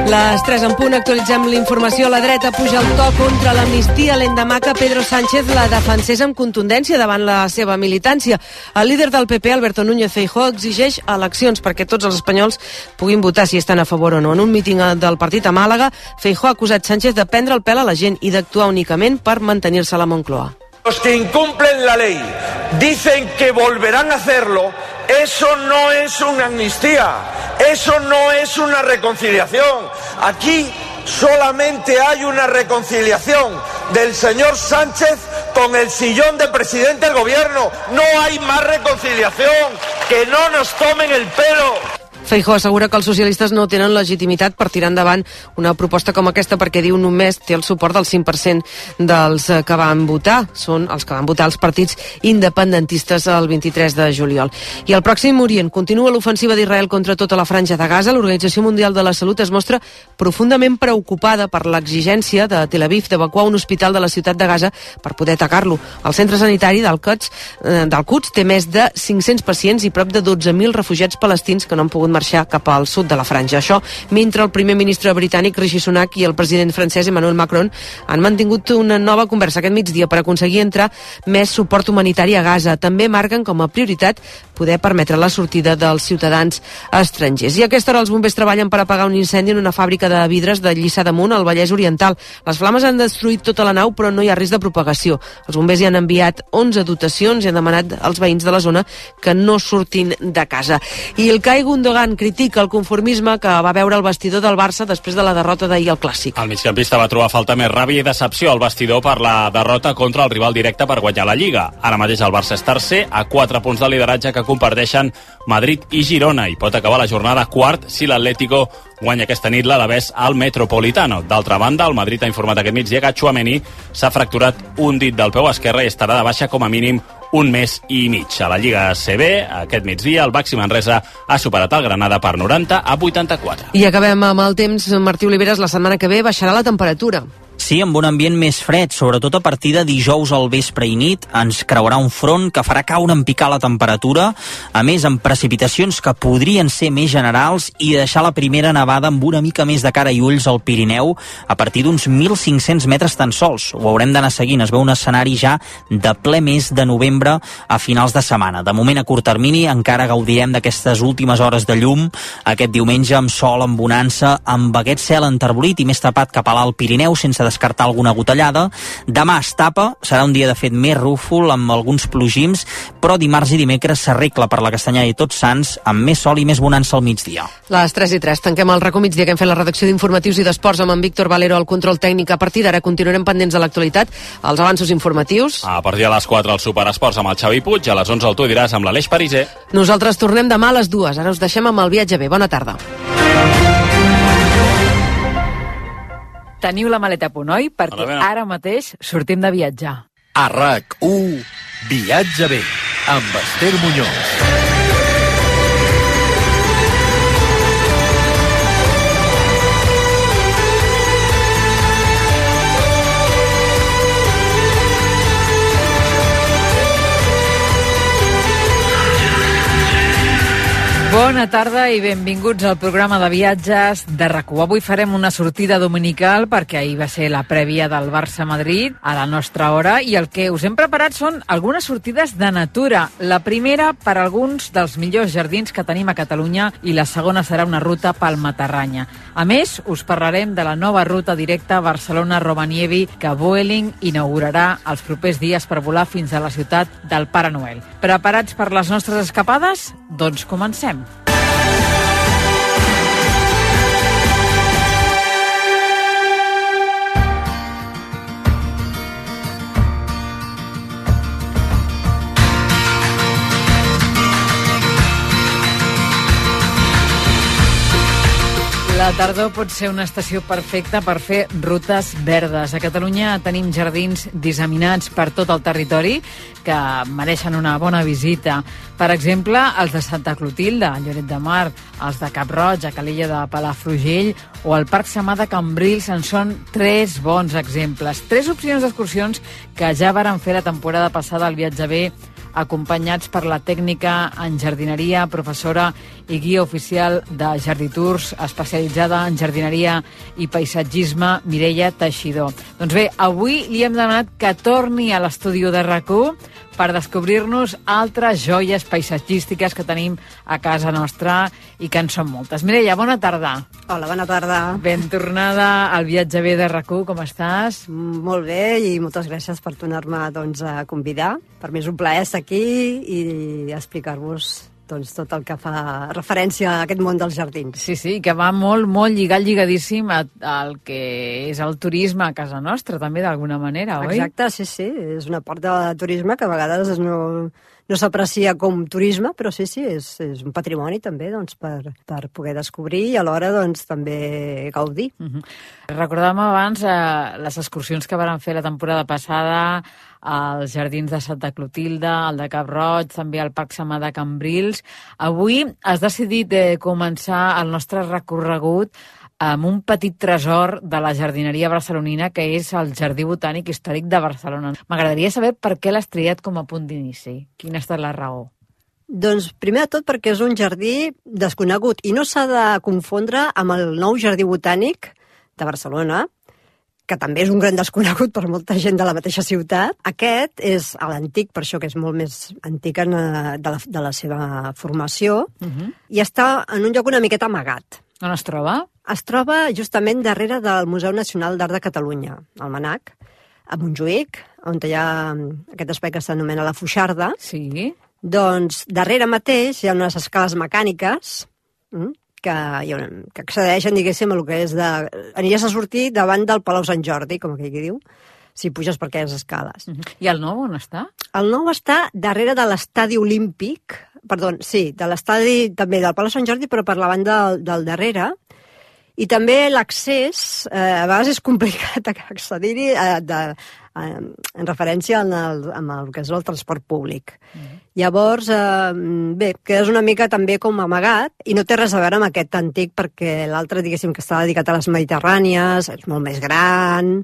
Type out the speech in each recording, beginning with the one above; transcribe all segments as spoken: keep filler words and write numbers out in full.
Les tres en punt, actualitzem l'informació. La dreta puja el to contra l'amnistia l'endemà que Pedro Sánchez la defensés amb contundència davant la seva militància. El líder del P P, Alberto Núñez Feijóo, exigeix eleccions perquè tots els espanyols puguin votar si estan a favor o no. En un míting del partit a Màlaga, Feijóo ha acusat Sánchez de prendre el pèl a la gent i d'actuar únicament per mantenir-se a la Moncloa. Los que incumplen la ley dicen que volverán a hacerlo. Eso no es una amnistía, eso no es una reconciliación. Aquí solamente hay una reconciliación del señor Sánchez con el sillón de presidente del gobierno. No hay más reconciliación, que no nos tomen el pelo. Feijóo assegura que els socialistes no tenen legitimitat per tirar endavant una proposta com aquesta perquè, diu, només té el suport del cinc per cent dels que van votar. Són els que van votar els partits independentistes el vint-i-tres de juliol. I al Pròxim Orient continua l'ofensiva d'Israel contra tota la franja de Gaza. L'Organització Mundial de la Salut es mostra profundament preocupada per l'exigència de Tel Aviv d'evacuar un hospital de la ciutat de Gaza per poder atacar-lo. El centre sanitari d'Al-Quds d'Al-Quds té més de cinc-cents pacients i prop de dotze mil refugiats palestins que no han pogut marxar cap al sud de la franja. Això mentre el primer ministre britànic Rishi Sunak i el president francès Emmanuel Macron han mantingut una nova conversa aquest migdia per aconseguir entrar més suport humanitari a Gaza. També marquen com a prioritat poder permetre la sortida dels ciutadans estrangers. I a aquesta hora els bombers treballen per apagar un incendi en una fàbrica de vidres de Lliçà d'Amunt, al Vallès Oriental. Les flames han destruït tota la nau, però no hi ha risc de propagació. Els bombers hi han enviat onze dotacions i han demanat als veïns de la zona que no surtin de casa. I el Kai Gundogan critica el conformisme que va veure el vestidor del Barça després de la derrota d'ahir al Clàssic. El migcampista va trobar falta més ràbia i decepció al vestidor per la derrota contra el rival directe per guanyar la Lliga. Ara mateix el Barça és tercer, a quatre punts de lideratge que comparteixen Madrid i Girona, i pot acabar la jornada quart si l'Atlético guanya aquesta nit l'Alavés al Metropolitano. D'altra banda, el Madrid ha informat aquest migdia que Tchouaméni s'ha fracturat un dit del peu esquerre i estarà de baixa com a mínim un mes i mig. A la Lliga A C B, aquest migdia, el Baxi Manresa ha superat el Granada per noranta a vuitanta-quatre. I acabem amb el temps. Martí Oliveres, la setmana que ve baixarà la temperatura. Sí, amb un ambient més fred, sobretot a partir de dijous al vespre i nit. Ens creurà un front que farà caure en picar la temperatura, a més amb precipitacions que podrien ser més generals i deixar la primera nevada amb una mica més de cara i ulls al Pirineu a partir d'uns mil cinc-cents metres tan sols. Ho haurem d'anar seguint, es veu un escenari ja de ple mes de novembre a finals de setmana. De moment, a curt termini, encara gaudirem d'aquestes últimes hores de llum, aquest diumenge amb sol, amb bonança, amb aquest cel enterbolit i més tapat cap a l'Alt Pirineu, sense descartar alguna gotellada. Demà es tapa, serà un dia de fet més rúfol amb alguns plogims, però dimarts i dimecres s'arregla per la Castanyada i Tots Sants amb més sol i més bonança al migdia. Les tres i tres, tanquem el racó migdia que hem fet la redacció d'informatius i d'esports amb en Víctor Valero al control tècnic. A partir d'ara continuarem pendents de l'actualitat, els avanços informatius. A partir de les quatre el Superesports amb el Xavi Puig, a les onze el Tu diràs amb l'Aleix Pariser. Nosaltres tornem demà a les dues. Ara us deixem amb el viatge bé. Bona tarda. Teniu la maleta a punt, oi? Perquè ara mateix sortim de viatjar. A RAC u, Viatge bé, amb Esther Muñoz. Bona tarda i benvinguts al programa de viatges de RAC u. Avui farem una sortida dominical perquè ahir va ser la prèvia del Barça-Madrid a la nostra hora i el que us hem preparat són algunes sortides de natura. La primera per alguns dels millors jardins que tenim a Catalunya i la segona serà una ruta pel Matarranya. A més, us parlarem de la nova ruta directa Barcelona-Rovaniemi que Vueling inaugurarà els propers dies per volar fins a la ciutat del Pare Noel. Preparats per les nostres escapades? Doncs comencem. La tardor pot ser una estació perfecta per fer rutes verdes. A Catalunya tenim jardins disseminats per tot el territori que mereixen una bona visita. Per exemple, els de Santa Clotilde, a Lloret de Mar, els de Cap-roig, a Calella de Palafrugell o el Parc Samà de Cambrils en són tres bons exemples. Tres opcions d'excursions que ja varen fer la temporada passada al Viatge bé acompanyats per la tècnica en jardineria, professora i guia oficial de Jarditours, especialitzada en jardineria i paisatgisme, Mireia Teixidor. Doncs bé, avui li hem demanat que torni a l'estudi de RAC1 per descobrir-nos altres joies paisatgístiques que tenim a casa nostra i que en són moltes. Mireia, bona tarda. Hola, bona tarda. Ben tornada al Viatge bé de RAC1, com estàs? Molt bé i moltes gràcies per tornar-me doncs, a convidar. Per mi és un plaer estar aquí i explicar-vos doncs, tot el que fa referència a aquest món dels jardins. Sí, sí, que va molt, molt lligat, lligadíssim al que és el turisme a casa nostra, també, d'alguna manera, oi? Exacte, sí, sí. És una part de turisme que a vegades no, no s'aprecia com turisme, però sí, sí, és, és un patrimoni també doncs, per, per poder descobrir i alhora doncs, també gaudir. Uh-huh. Recordàvem abans eh, les excursions que van fer la temporada passada als jardins de Santa Clotilde, al de Cap Roig, també al Parc Samà de Cambrils. Avui has decidit eh, començar el nostre recorregut amb un petit tresor de la jardineria barcelonina, que és el Jardí Botànic Històric de Barcelona. M'agradaria saber per què l'has triat com a punt d'inici. Quina ha estat la raó? Doncs primer de tot perquè és un jardí desconegut i no s'ha de confondre amb el nou Jardí Botànic de Barcelona, que també és un gran desconegut per molta gent de la mateixa ciutat. Aquest és l'antic, per això que és molt més antic en, de, la, de la seva formació, uh-huh. i està en un lloc una miqueta amagat. On es troba? Es troba justament darrere del Museu Nacional d'Art de Catalunya, al Manac, a Montjuïc, on hi ha aquest espai que s'anomena la Foixarda. Sí. Doncs darrere mateix hi ha unes escales mecàniques, mm? que, que accedeixen, diguéssim, a el que és de... Aniries a sortir davant del Palau Sant Jordi, com aquell que diu, si puges per aquelles escales. Uh-huh. I el nou on està? El nou està darrere de l'estadi olímpic, perdó, sí, de l'estadi també del Palau Sant Jordi, però per la banda del, del darrere, i també l'accés, eh, a vegades és complicat accedir-hi eh, de, eh, en referència amb el, amb el que és el transport públic. Mm. Llavors, eh, bé, quedes una mica també com amagat i no té res a veure amb aquest antic perquè l'altre, diguéssim, que està dedicat a les mediterrànies, és molt més gran,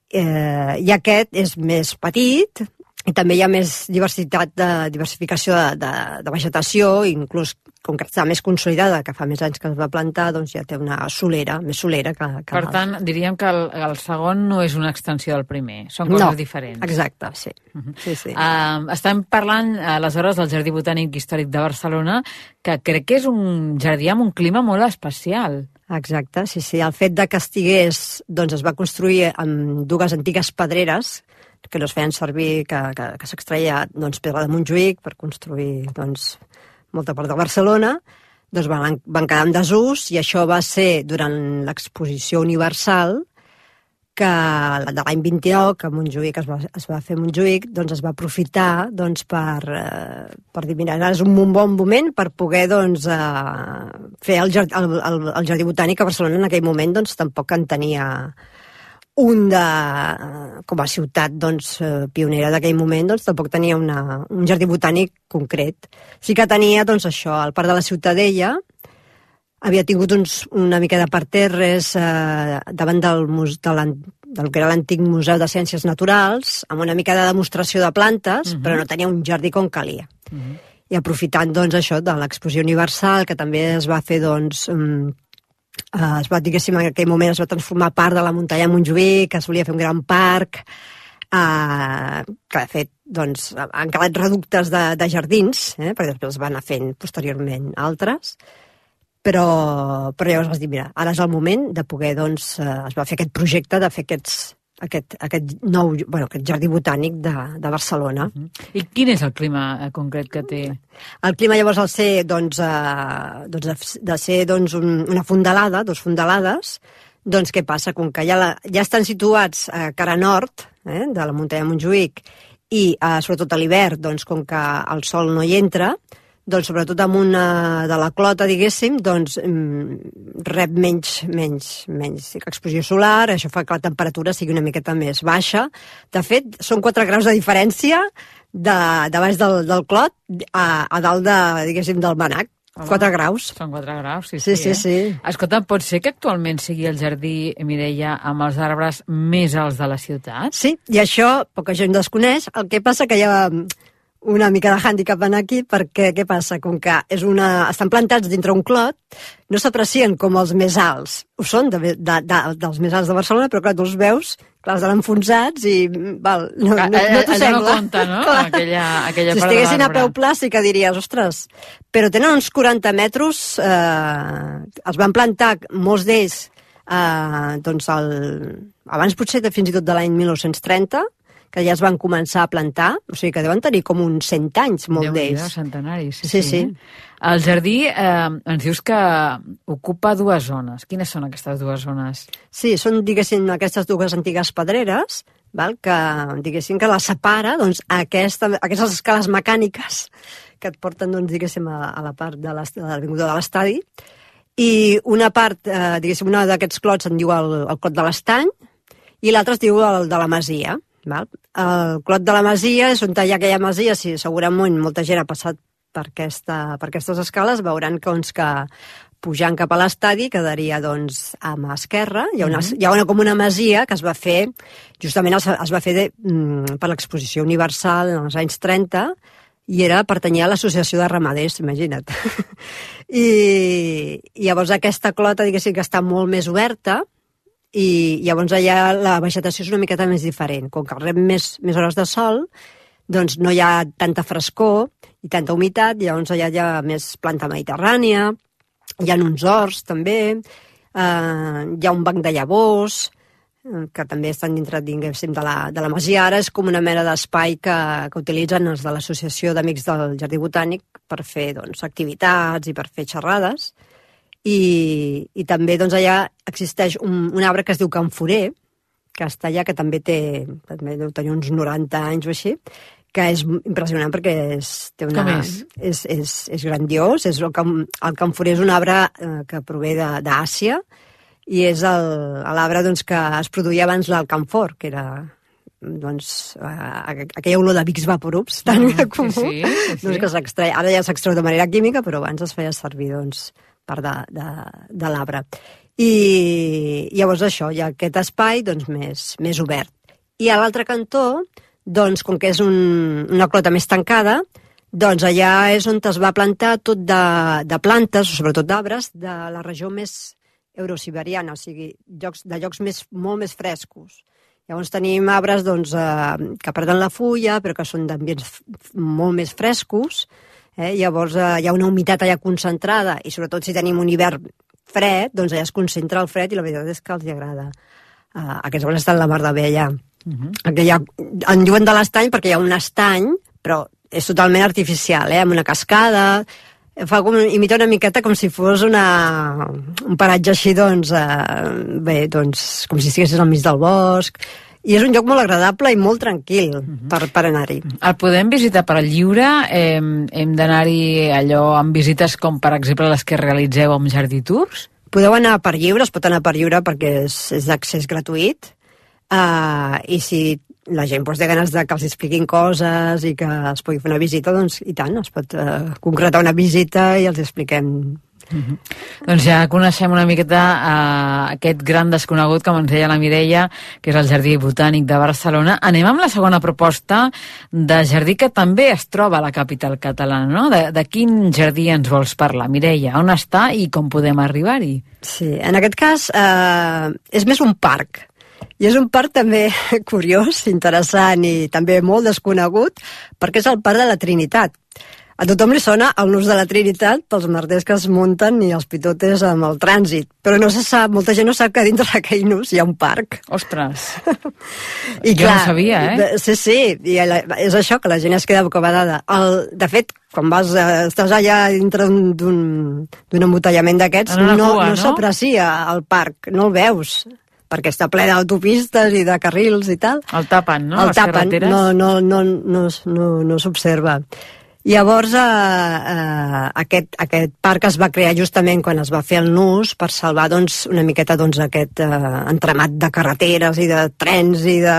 eh, i aquest és més petit i també hi ha més diversitat de diversificació de, de, de vegetació, inclús com que està més consolidada, que fa més anys que es va plantar, doncs ja té una solera, més solera que, que per tant, diríem que el, el segon no és una extensió del primer, són coses no, diferents. Exacte, sí. Uh-huh. sí, sí. Uh, estem parlant, aleshores, del Jardí Botànic Històric de Barcelona, que crec que és un jardí amb un clima molt especial. Exacte, sí, sí. El fet de que estigués, doncs es va construir amb dues antigues pedreres, que no es feien servir, que, que, que s'extreia doncs, pedra de Montjuïc per construir doncs, molta part de Barcelona, doncs van, van quedar en desús i això va ser durant l'exposició universal que de l'any vint-i-nou, que a Montjuïc es va, es va fer a Montjuïc, doncs es va aprofitar doncs, per, eh, per dir, mira, és un bon moment per poder doncs, eh, fer el, jard, el, el, el Jardí Botànic a Barcelona en aquell moment, doncs tampoc en tenia un de, com a ciutat doncs, pionera d'aquell moment, doncs tampoc tenia una, un jardí botànic concret. Sí que tenia doncs, això, al Parc de la Ciutadella, havia tingut uns, una mica de parterres eh, davant del, de del que era l'antic Museu de Ciències Naturals, amb una mica de demostració de plantes, uh-huh. però no tenia un jardí com calia. Uh-huh. I aprofitant doncs, això de l'exposició universal, que també es va fer doncs, um, Uh, es va, diguéssim, en aquell moment es va transformar part de la muntanya de Montjuïc, que es volia fer un gran parc, uh, que de fet doncs, han quedat reductes de, de jardins, eh, perquè després es van anar fent posteriorment altres, però, però llavors vas dir, mira, ara és el moment de poder, doncs, uh, es va fer aquest projecte de fer aquests, aquest, aquest nou, bueno, aquest jardí botànic de, de Barcelona. Uh-huh. I quin és el clima concret que té? El clima llavors al ser, doncs, eh, doncs de ser doncs, un, una fondalada, dos fondalades, doncs què passa? Com que ja, la, ja estan situats a cara nord eh, de la muntanya de Montjuïc i eh, sobretot a l'hivern, doncs, com que el sol no hi entra, doncs sobretot amb una de la clota, diguéssim, doncs rep menys, menys, menys exposició solar, això fa que la temperatura sigui una miqueta més baixa. De fet, són quatre graus de diferència de, de baix del, del clot a, a dalt de, diguéssim, del Manac. quatre graus. Són quatre graus, sí, sí. Sí, sí, sí. Eh? Escolta, pot ser que actualment sigui el jardí, Mireia, amb els arbres més alts de la ciutat? Sí, i això poca gent desconeix. El que passa que hi ha una mica de hàndicap en aquí, perquè què passa? Com que és una... estan plantats dintre un clot, no s'aprecien com els més alts. Ho són de, de, de, dels més alts de Barcelona, però clar, tu els veus, clar, estan enfonsats i... Val, no, no, no t'ho sembla. No compta, no? Aquella, aquella si part estiguessin de a peu pla sí que diries, ostres, però tenen uns quaranta metres, eh, els van plantar, molts d'ells, eh, doncs el, abans potser de, fins i tot de l'any mil nou-cents trenta, que ja es van començar a plantar, o sigui que deuen tenir com uns cent anys, molt d'ells. Déu-n'hi-do, centenaris. Sí, sí. sí. El jardí, eh, ens dius que ocupa dues zones. Quines són aquestes dues zones? Sí, són, diguéssim, aquestes dues antigues pedreres, val? Que, diguéssim, que la separa, doncs, aquesta, aquestes escales mecàniques que et porten, doncs, diguéssim, a, a la part de l'avinguda de l'estadi, i una part, eh, diguéssim, una d'aquests clots en diu el, el clot de l'Estany, i l'altre es diu el de la Masia. Val? El clot de la Masia és on hi ha aquella masia, si segurament molta gent ha passat per, aquesta, per aquestes escales, veuran que, doncs, que pujant cap a l'estadi quedaria doncs, a mà esquerra. Hi ha, una, hi ha una, com una masia que es va fer, justament es, es va fer de, mm, per l'exposició universal en els anys trenta, i era pertanyia a l'associació de ramaders, imagina't. I, I llavors aquesta clota, diguéssim, que està molt més oberta, i llavors allà la vegetació és una miqueta més diferent. Com que rep més, més hores de sol, doncs no hi ha tanta frescor i tanta humitat, llavors allà hi ha més planta mediterrània, hi ha uns horts també, eh, hi ha un banc de llavors, eh, que també estan dintre, diguéssim, de la, de la masia. Ara és com una mena d'espai que, que utilitzen els de l'Associació d'Amics del Jardí Botànic per fer, doncs, activitats i per fer xerrades. I, i també doncs, allà existeix un, un arbre que es diu camforer, que està allà, que també té, també deu tenir uns noranta anys o així, que és impressionant perquè és, té una, Com és? És, és, és grandiós. És el, cam, el camforer és un arbre eh, que prové d'Àsia i és l'arbre doncs, que es produïa abans del camfor, que era doncs, eh, aquella olor de Vicks Vaporubs tan mm, comú, sí, sí, sí, sí. Doncs, que s'extreia. Ara ja s'extreu de manera química, però abans es feia servir doncs, part de, de, de l'arbre. I llavors això, hi ha aquest espai doncs, més, més obert. I a l'altre cantó, doncs, com que és un, una clota més tancada, doncs allà és on es va plantar tot de, de plantes, sobretot d'arbres, de la regió més eurosiberiana, o sigui, llocs, de llocs més, molt més frescos. Llavors tenim arbres doncs, eh, que perden la fulla, però que són d'ambients molt més frescos. Eh? Llavors eh, hi ha una humitat allà concentrada i sobretot si tenim un hivern fred, doncs allà es concentra el fred i la veritat és que els agrada. Uh, aquests arbres estan la mar de bé allà. Uh-huh. Aquella, en diuen de l'estany perquè hi ha un estany, però és totalment artificial, eh? Amb una cascada, fa com, imita una miqueta com si fos una, un paratge així, doncs, eh, bé, doncs, com si estiguessis al mig del bosc. I és un lloc molt agradable i molt tranquil per, per anar-hi. El podem visitar per lliure? Eh, hem d'anar-hi allò amb visites com, per exemple, les que realitzeu amb Jardí Tours? Podeu anar per lliure, es pot anar per lliure perquè és, és d'accés gratuït. Uh, I si la gent doncs, té ganes de que els expliquin coses i que es pugui fer una visita, doncs i tant, es pot uh, concretar una visita i els expliquem. Uh-huh. Doncs ja coneixem una miqueta uh, aquest gran desconegut, com ens deia la Mireia, que és el Jardí Botànic de Barcelona. Anem amb la segona proposta de jardí que també es troba a la capital catalana, no? De, de quin jardí ens vols parlar, Mireia? On està i com podem arribar-hi? Sí, en aquest cas eh, és més un parc. I és un parc també curiós, interessant i també molt desconegut, perquè és el Parc de la Trinitat. A tothom li sona el nus de la Trinitat pels merders que es munten i els pitotes amb el trànsit, però no se sap, molta gent no sap que dintre d'aquell nus hi ha un parc. Ostres! I jo clar, no sabia, eh? Sí, sí, i és això, que la gent es queda bocabadada. El, de fet, quan vas, estàs allà dintre d'un embotellament d'aquests, no, no, no, no? s'aprecia el parc, no el veus, perquè està ple d'autopistes i de carrils i tal. El tapen, no? El tapen, no, no, no, no, no, no s'observa. Llavors, eh, eh, aquest, aquest parc es va crear justament quan es va fer el nus per salvar doncs, una miqueta doncs, aquest eh, entramat de carreteres i de trens i de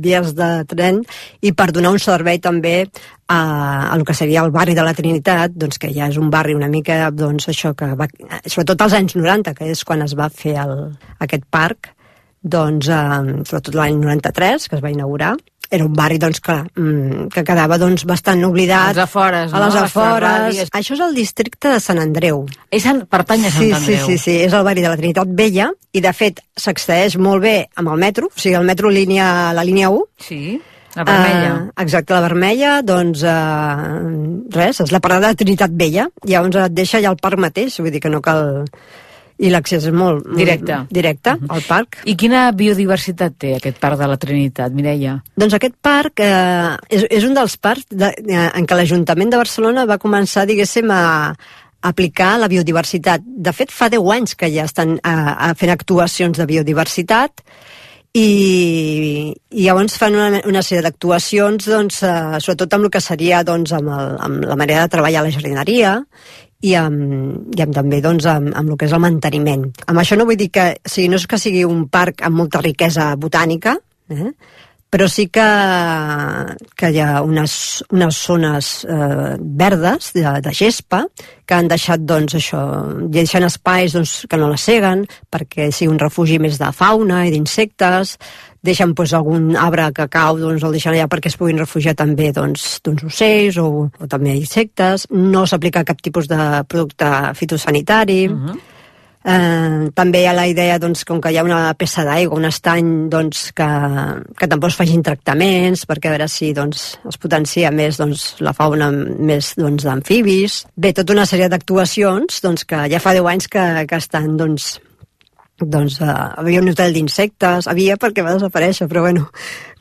vies de tren i per donar un servei també a, a el que seria el barri de la Trinitat, doncs, que ja és un barri una mica, doncs, això que va, sobretot als anys noranta, que és quan es va fer el, aquest parc, doncs, eh, sobretot l'any noranta-tres, que es va inaugurar, era un barri doncs, que, que quedava doncs, bastant oblidat. A les afores, no? A les A afores. les Això és el districte de Sant Andreu. És en, pertany a Sant sí, Andreu. Sí, sí, sí, és el barri de la Trinitat Vella i de fet s'accedeix molt bé amb el metro, o sigui, el metro línia, la línia u. Sí, la vermella. Uh, exacte, la vermella, doncs uh, res, és la parada de Trinitat Vella. Llavors et deixa allà al parc mateix, vull dir que no cal... I l'accés és molt... Directe. Directe, uh-huh. al parc. I quina biodiversitat té aquest parc de la Trinitat, Mireia? Doncs aquest parc eh, és, és un dels parcs de, eh, en què l'Ajuntament de Barcelona va començar, diguéssim, a, a aplicar la biodiversitat. De fet, fa deu anys que ja estan a, a fent actuacions de biodiversitat i, i llavors fan una, una sèrie d'actuacions, doncs, eh, sobretot amb el que seria doncs, amb, el, amb la manera de treballar a la jardineria i amb, i amb també doncs, amb, amb el que és el manteniment. Amb això no vull dir que, o sigui, no és que sigui un parc amb molta riquesa botànica, eh? Però sí que, que hi ha unes, unes zones eh, verdes de, de gespa que han deixat doncs, això, deixant espais doncs, que no la seguen perquè sigui un refugi més de fauna i d'insectes, deixen doncs, algun arbre que cau, doncs, el deixen allà perquè es puguin refugiar també doncs, d'uns ocells o, o també insectes. No s'aplica cap tipus de producte fitosanitari. Uh-huh. Eh, també hi ha la idea doncs, com que hi ha una peça d'aigua, un estany doncs, que, que tampoc es facin tractaments perquè a veure si doncs, es potencia més doncs, la fauna més doncs, d'amfibis. Bé, tota una sèrie d'actuacions doncs, que ja fa deu anys que, que estan doncs, doncs uh, havia un hotel d'insectes, havia perquè va desaparèixer, però bueno,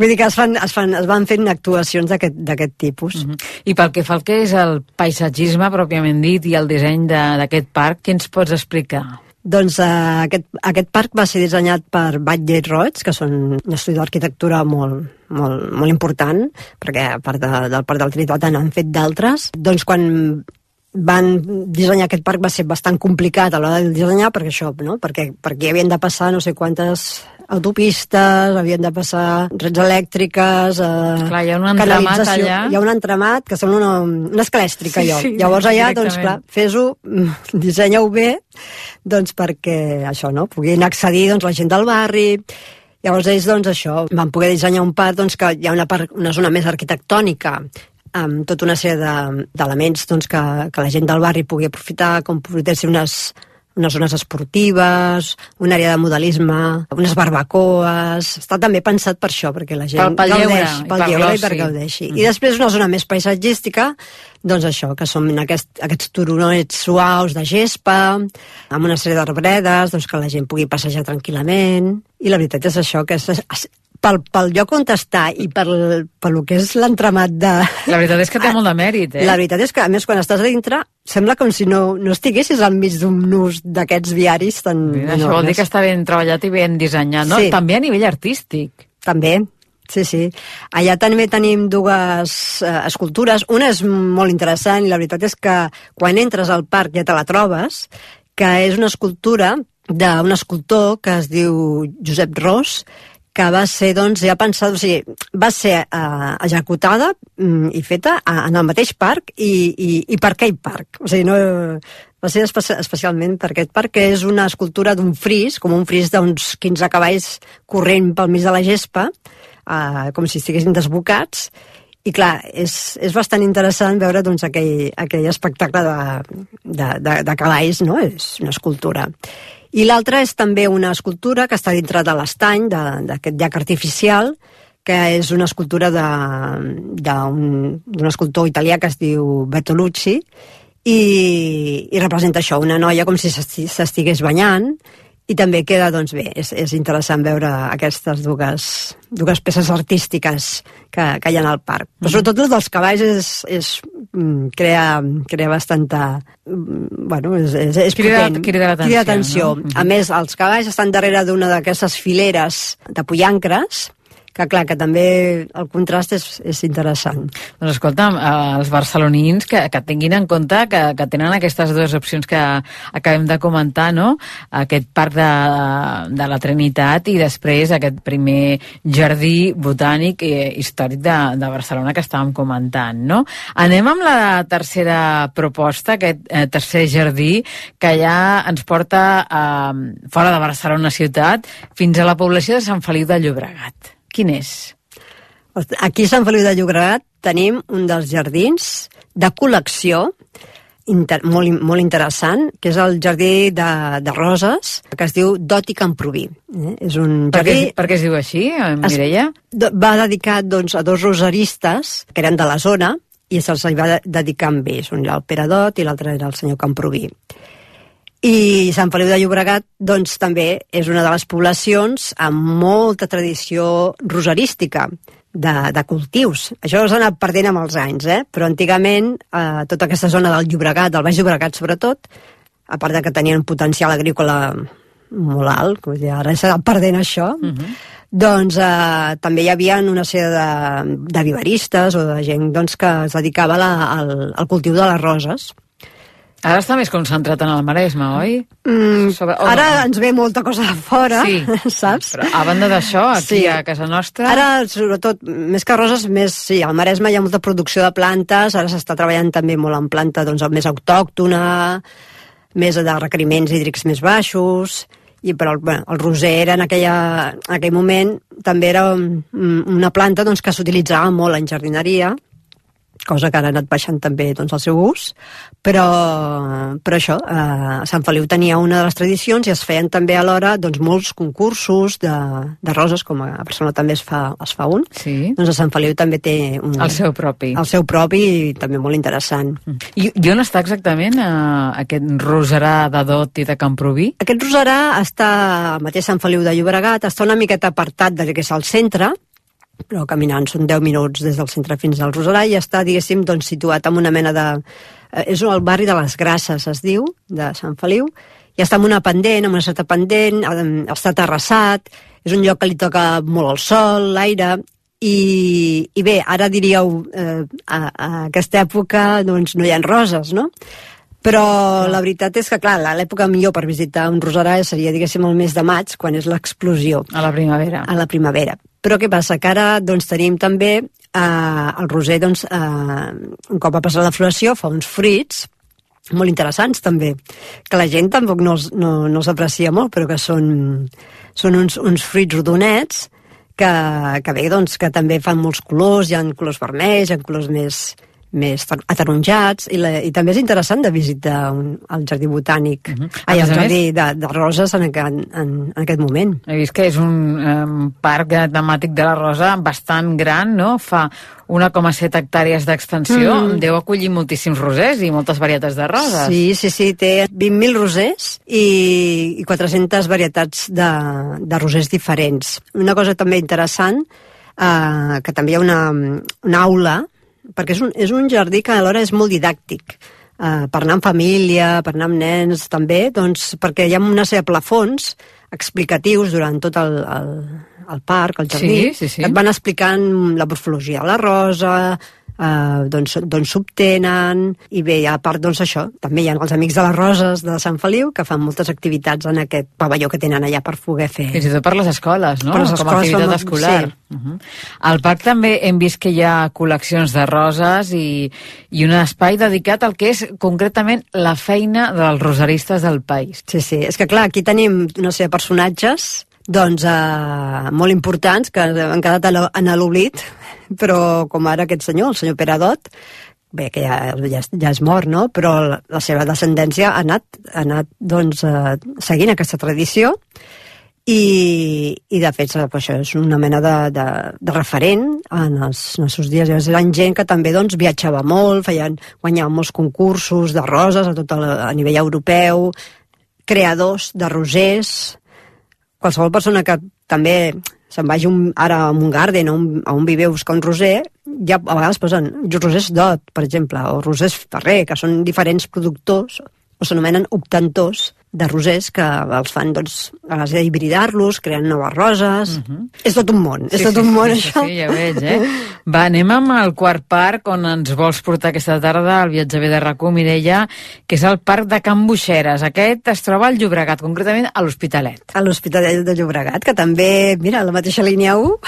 vull dir que es, fan, es, fan, es van fent actuacions d'aquest tipus. Uh-huh. I pel que fa al que és el paisatgisme pròpiament dit i el disseny d'aquest parc, què ens pots explicar? Doncs uh, aquest, aquest parc va ser dissenyat per Batlle i Roig, que són un estudi d'arquitectura molt, molt, molt important, perquè a part de, del Parc de la Trinitat han fet d'altres. Doncs quan van dissenyar aquest parc va ser bastant complicat a l'hora de dissenyar perquè això, no? perquè, perquè havien de passar no sé quantes autopistes, havien de passar reds elèctriques, eh, clar, hi ha un entramat allà. Hi ha un entramat que sembla una, una escalèstrica, sí, allò. Sí, Llavors allà, doncs clar, fes-ho, dissenya-ho bé, doncs perquè això, no? Puguin accedir doncs, la gent del barri. Llavors ells, doncs això, van poder dissenyar un parc doncs, que hi ha una, part, una zona més arquitectònica, amb tota una sèrie d'elements de, doncs, que, que la gent del barri pugui aprofitar, com poder ser unes, unes zones esportives, una àrea de modelisme, unes barbacoes. Està també pensat per això, perquè la gent pel, pel gaudeix, lleure, pel lleure i per gaudeixi. Mm. I després una zona més paisatgística, doncs això, que són aquest, aquests turonets suaus de gespa, amb una sèrie d'arbredes, doncs que la gent pugui passejar tranquil·lament. I la veritat és això, que és, és Pel, pel lloc on està i pel, pel que és l'entramat de... La veritat és que té molt de mèrit, eh? La veritat és que, a més, quan estàs a dintre, sembla com si no, no estiguessis al mig d'un nus d'aquests viaris tan Mira, enormes. Això vol dir que està ben treballat i ben dissenyat, no? Sí. També a nivell artístic. També, sí, sí. Allà també tenim dues eh, escultures. Una és molt interessant i la veritat és que quan entres al parc ja te la trobes, que és una escultura d'un escultor que es diu Josep Ros, que va ser, doncs, ja pensat, o sigui, va ser eh, executada mm, i feta a, en el mateix parc i, i, i per aquell parc. O sigui, no, va ser espe especialment per aquest parc, que és una escultura d'un fris, com un fris d'uns quinze cavalls corrent pel mig de la gespa, eh, com si estiguessin desbocats, i clar, és, és bastant interessant veure doncs, aquell, aquell espectacle de, de, de, de cavalls, no? És una escultura. I l'altra és també una escultura que està dintre de l'estany, d'aquest llac artificial, que és una escultura d'un escultor italià que es diu Bertolucci, i, i representa això, una noia com si s'estigués banyant, i també queda, doncs bé, és, és interessant veure aquestes dues, dues peces artístiques que, que hi ha al parc. Però sobretot el dels cavalls és, és, crea, crea bastanta... Bueno, és, és, és crida, potent. Crida l'atenció. Crida atenció. No? A més, els cavalls estan darrere d'una d'aquestes fileres de pollancres, que clar, que també el contrast és, és interessant. Doncs escolta'm, els barcelonins que, que tinguin en compte que, que tenen aquestes dues opcions que acabem de comentar, no? Aquest parc de, de la Trinitat i després aquest primer jardí botànic i històric de, de Barcelona que estàvem comentant, no? Anem amb la tercera proposta, aquest eh, tercer jardí que ja ens porta eh, fora de Barcelona ciutat fins a la població de Sant Feliu de Llobregat. Quin és? Aquí a Sant Feliu de Llobregat tenim un dels jardins de col·lecció inter, molt, molt interessant, que és el jardí de, de roses, que es diu Dot i Camproví. Eh? És un per, jardí... què, per què es diu així, Mireia? Es, va dedicat doncs, a dos roseristes que eren de la zona i se'ls va dedicar amb ells. Un era el Pere Dot i l'altre era el senyor Camproví. I Sant Feliu de Llobregat doncs, també és una de les poblacions amb molta tradició roserística, de, de cultius. Això s'ha anat perdent amb els anys, eh? Però antigament eh, tota aquesta zona del Llobregat, del Baix Llobregat sobretot, a part de que tenien un potencial agrícola molt alt, com dir, ara s'ha anat perdent això, uh-huh. doncs eh, també hi havia una sèrie de, de viveristes o de gent doncs, que es dedicava la, al, al cultiu de les roses. Ara està més concentrat en el Maresme, oi? Mm, Sobre, oh, ara no. ens ve molta cosa de fora, sí, saps? Però a banda d'això, aquí sí. a casa nostra... Ara, sobretot, més que roses, més, sí, al Maresme hi ha molta producció de plantes, ara s'està treballant també molt en planta doncs, més autòctona, més de requeriments hídrics més baixos, i però bueno, el roser era en, aquella, en aquell moment també era una planta doncs, que s'utilitzava molt en jardineria, cosa que ara ha anat baixant també doncs, el seu ús, però, però això, eh, Sant Feliu tenia una de les tradicions i es feien també alhora doncs, molts concursos de, de roses, com a Barcelona també es fa, es fa un, sí. doncs a Sant Feliu també té un, el seu propi. El seu propi i també molt interessant. I, i on està exactament eh, aquest roserà de Dot i de Camproví? Aquest roserà està al mateix Sant Feliu de Llobregat, està una miqueta apartat del que és el centre, però caminant són deu minuts des del centre fins al roserà i està, diguéssim, doncs, situat en una mena de... Eh, és el barri de les Grasses, es diu, de Sant Feliu, i està en una pendent, en una certa pendent, està terrassat, és un lloc que li toca molt el sol, l'aire, i, i bé, ara diríeu, eh, a, a aquesta època doncs, no hi ha roses, no? Però la veritat és que, clar, l'època millor per visitar un roserà seria, diguéssim, el mes de maig, quan és l'explosió. A la primavera. A la primavera. Però què passa? Que ara doncs, tenim també eh, el roser, doncs, eh, un cop ha passat la floració, fa uns fruits molt interessants també, que la gent tampoc no, no, no s'aprecia molt, però que són, són uns, uns fruits rodonets que, que bé, doncs, que també fan molts colors, hi ha colors vermells, hi ha colors més... més ataronjats, i, la, i també és interessant de visitar un, el jardí botànic, uh-huh. ai, el jardí de, de roses en aquest, en, en aquest moment. He vist que és un um, parc temàtic de la rosa bastant gran, no? Fa una coma set hectàrees d'extensió, mm. deu acollir moltíssims rosers i moltes varietats de roses. Sí, sí, sí, té vint mil rosers i, i quatre-centes varietats de, de rosers diferents. Una cosa també interessant, eh, que també hi ha una, una aula, perquè és un, és un jardí que alhora és molt didàctic, uh, per anar amb família, per anar amb nens també, doncs perquè hi ha una sèrie de plafons explicatius durant tot el, el, el parc, el jardí, sí, sí, sí. que et van explicant la morfologia de la rosa, Uh, doncs, doncs s'obtenen, i bé, a part doncs això, també hi ha els Amics de les Roses de Sant Feliu que fan moltes activitats en aquest pavelló que tenen allà per poder fer. Fins i tot per les escoles, no? Per les Com a escoles activitat som... escolar. Sí. Uh-huh. Al parc també hem vist que hi ha col·leccions de roses i, i un espai dedicat al que és concretament la feina dels roseristes del país. Sí, sí, és que clar, aquí tenim una sèrie de personatges doncs eh, molt importants que han quedat en l'oblit, però com ara aquest senyor, el senyor Pere Dot, bé, que ja, ja, ja és mort, no? Però la, la seva descendència ha anat, ha anat doncs, eh, seguint aquesta tradició i, i de fet pues, això és una mena de, de, de referent en els nostres dies. Eren gent que també doncs, viatjava molt, feien, guanyaven molts concursos de roses a, tot el, a nivell europeu, creadors de rosers. Qualsevol persona que també se'n vagi un, ara a un garden o un, a un viver a buscar un roser, ja a vegades posen rosers Dot, per exemple, o rosers Ferrer, que són diferents productors, o s'anomenen obtentors de rosers que els fan, doncs, a base d'hibridar-los, creant noves roses. Uh-huh. És tot un món, sí, és tot sí, un món, sí, això. Sí, ja veig, eh? Va, anem amb el quart parc on ens vols portar aquesta tarda, el Viatge B de RAC u, Mireia, que és el parc de Can Buixeres. Aquest es troba al Llobregat, concretament a l'Hospitalet. A l'Hospitalet de Llobregat, que també, mira, la mateixa línia u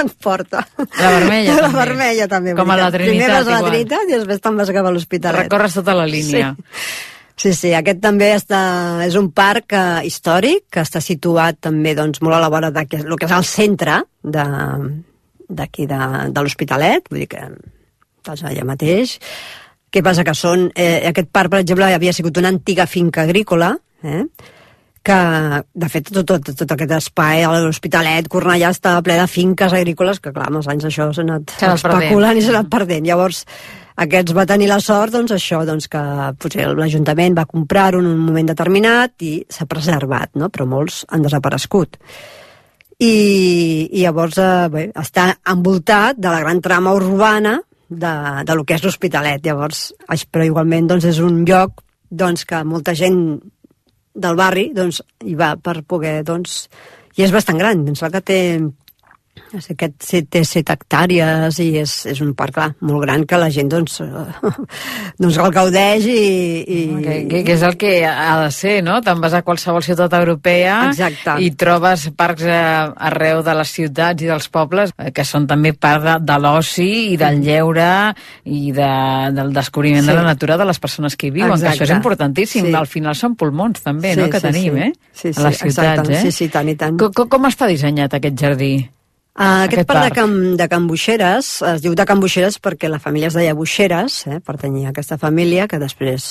ens porta. La vermella, la també. La vermella, també. Com a la Trinitat, Primer vas a la igual. Trinitat i després te'n vas cap a l'Hospitalet. Recorres tota la línia. Sí. Sí, sí, aquest també està, és un parc eh, històric que està situat també doncs, molt a la vora del que, que és el centre de, d'aquí de, de l'Hospitalet, vull dir que estàs allà mateix. Què passa? Que són... Eh, aquest parc, per exemple, havia sigut una antiga finca agrícola, eh? que, de fet, tot, tot, tot aquest espai a l'Hospitalet, Cornellà, estava ple de finques agrícoles, que clar, amb els anys això s'ha anat especulant i s'ha anat perdent. Llavors, aquests va tenir la sort, doncs, això, doncs, que potser l'Ajuntament va comprar-ho en un moment determinat i s'ha preservat, no? Però molts han desaparegut. I, i llavors, eh, bé, està envoltat de la gran trama urbana de, de lo que és l'Hospitalet. Llavors, però igualment, doncs, és un lloc, doncs, que molta gent del barri, doncs, hi va per poder, doncs, i és bastant gran, em sembla que té... Aquest té set hectàrees i és, és un parc, clar, molt gran que la gent doncs, doncs el gaudeix i... i... Que, que, que és el que ha de ser, no? Te'n vas a qualsevol ciutat europea. Exacte. I trobes parcs arreu de les ciutats i dels pobles que són també part de, de l'oci i del lleure i de, del descobriment sí. de la natura de les persones que hi viuen, exacte. Que això és importantíssim. Sí. Al final són pulmons també, sí, no?, que sí, tenim, sí. eh? Sí, sí, a les ciutats, exacte. eh? Sí, sí, tant i tant. Com, com està dissenyat aquest jardí? Uh, aquest, aquest parc, parc. De, Can, de Can Buixeres es diu de Can Buixeres perquè la família es deia Buixeres, eh, pertanyia a aquesta família que després,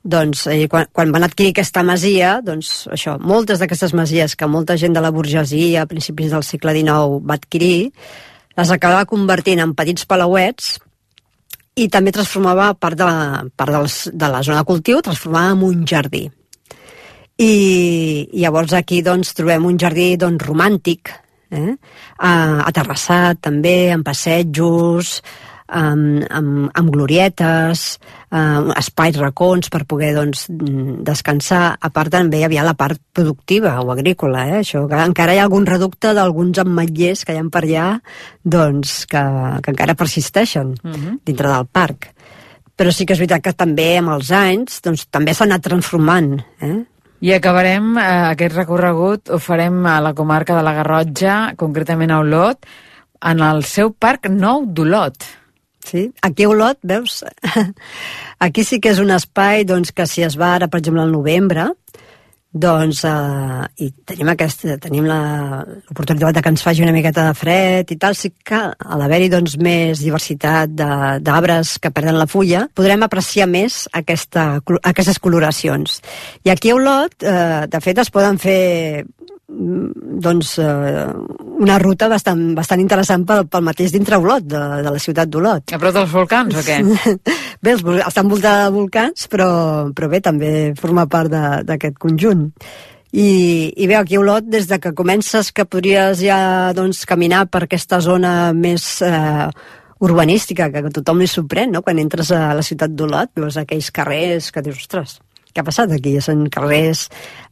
doncs, eh, quan, quan van adquirir aquesta masia, doncs això, moltes d'aquestes masies que molta gent de la burgesia a principis del segle dinou va adquirir, les acabava convertint en petits palauets i també transformava part de la, part dels, de la zona de cultiu, transformava en un jardí. I, i llavors aquí doncs trobem un jardí doncs romàntic, Eh? Uh, aterrassat també, amb passejos, amb, amb, amb glorietes, uh, espais racons per poder doncs, descansar. A part també hi havia la part productiva o agrícola, eh? Això, que encara hi ha algun reducte d'alguns ametllers que hi ha per allà doncs, que, que encara persisteixen uh-huh. dintre del parc. Però sí que és veritat que també amb els anys doncs, també s'ha anat transformant, eh? I acabarem eh, aquest recorregut, ho farem a la comarca de la Garrotxa, concretament a Olot, en el seu parc nou d'Olot. Sí, aquí a Olot, veus? Aquí sí que és un espai doncs, que si es va ara, per exemple, al novembre, doncs, eh, i tenim, aquesta, tenim la, l'oportunitat de que ens faci una miqueta de fred i tal, sí que a l'haver-hi doncs, més diversitat de, d'arbres que perden la fulla, podrem apreciar més aquesta, aquestes coloracions. I aquí a Olot, eh, de fet, es poden fer doncs, eh, una ruta bastant, bastant interessant pel, pel mateix dintre Olot, de, de la ciutat d'Olot. A prop dels volcans o què? Bé, està envoltada de volcans, però, però bé, també forma part de, d'aquest conjunt. I, i bé, aquí a Olot, des de que comences que podries ja doncs, caminar per aquesta zona més eh, urbanística, que a tothom li sorprèn, no?, quan entres a la ciutat d'Olot, veus aquells carrers que dius, ostres, què ha passat aquí? Són carrers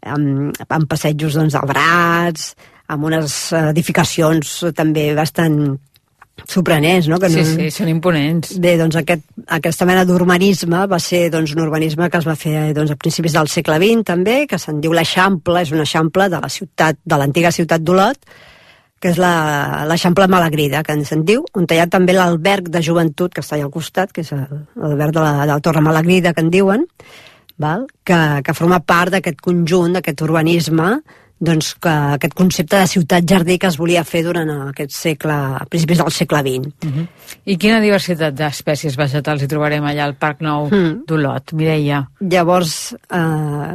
amb, amb passejos doncs, albrats, amb unes edificacions també bastant sorprenents, no? Que sí, no... sí, són imponents. Bé, doncs aquest, aquesta mena d'urbanisme va ser doncs, un urbanisme que es va fer doncs, a principis del segle vint també, que se'n diu l'Eixample, és un eixample de la ciutat, de l'antiga ciutat d'Olot, que és la, l'Eixample Malagrida, que se'n diu, on hi ha també l'alberg de joventut, que està allà al costat, que és l'alberg de la, de la Torre Malagrida, que en diuen, val? Que, que forma part d'aquest conjunt, d'aquest urbanisme, doncs que aquest concepte de ciutat-jardí que es volia fer durant aquest segle, a principis del segle vint. Uh-huh. I quina diversitat d'espècies vegetals hi trobarem allà al Parc Nou mm. d'Olot, Mireia? Llavors, eh,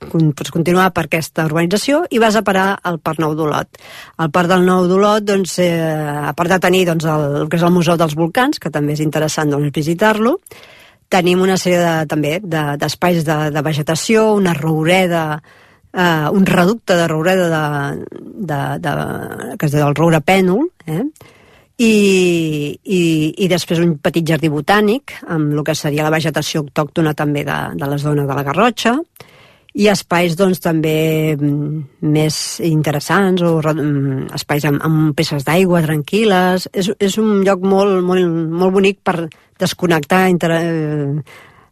pots continuar per aquesta urbanització i vas a parar al Parc Nou d'Olot. Al Parc del Nou d'Olot, doncs, eh, a part de tenir doncs, el, el que és el Museu dels Volcans, que també és interessant doncs, visitar-lo, tenim una sèrie de, també de, d'espais de, de vegetació, una roureda, Uh, un reducte de roureda de, de, de, que es diu el roure pènol, eh? I, i, i després un petit jardí botànic amb el que seria la vegetació autòctona també de, de la zona de la Garrotxa, i espais doncs també més interessants o espais amb, amb peces d'aigua tranquil·les. És, és un lloc molt, molt, molt bonic per desconnectar, inter...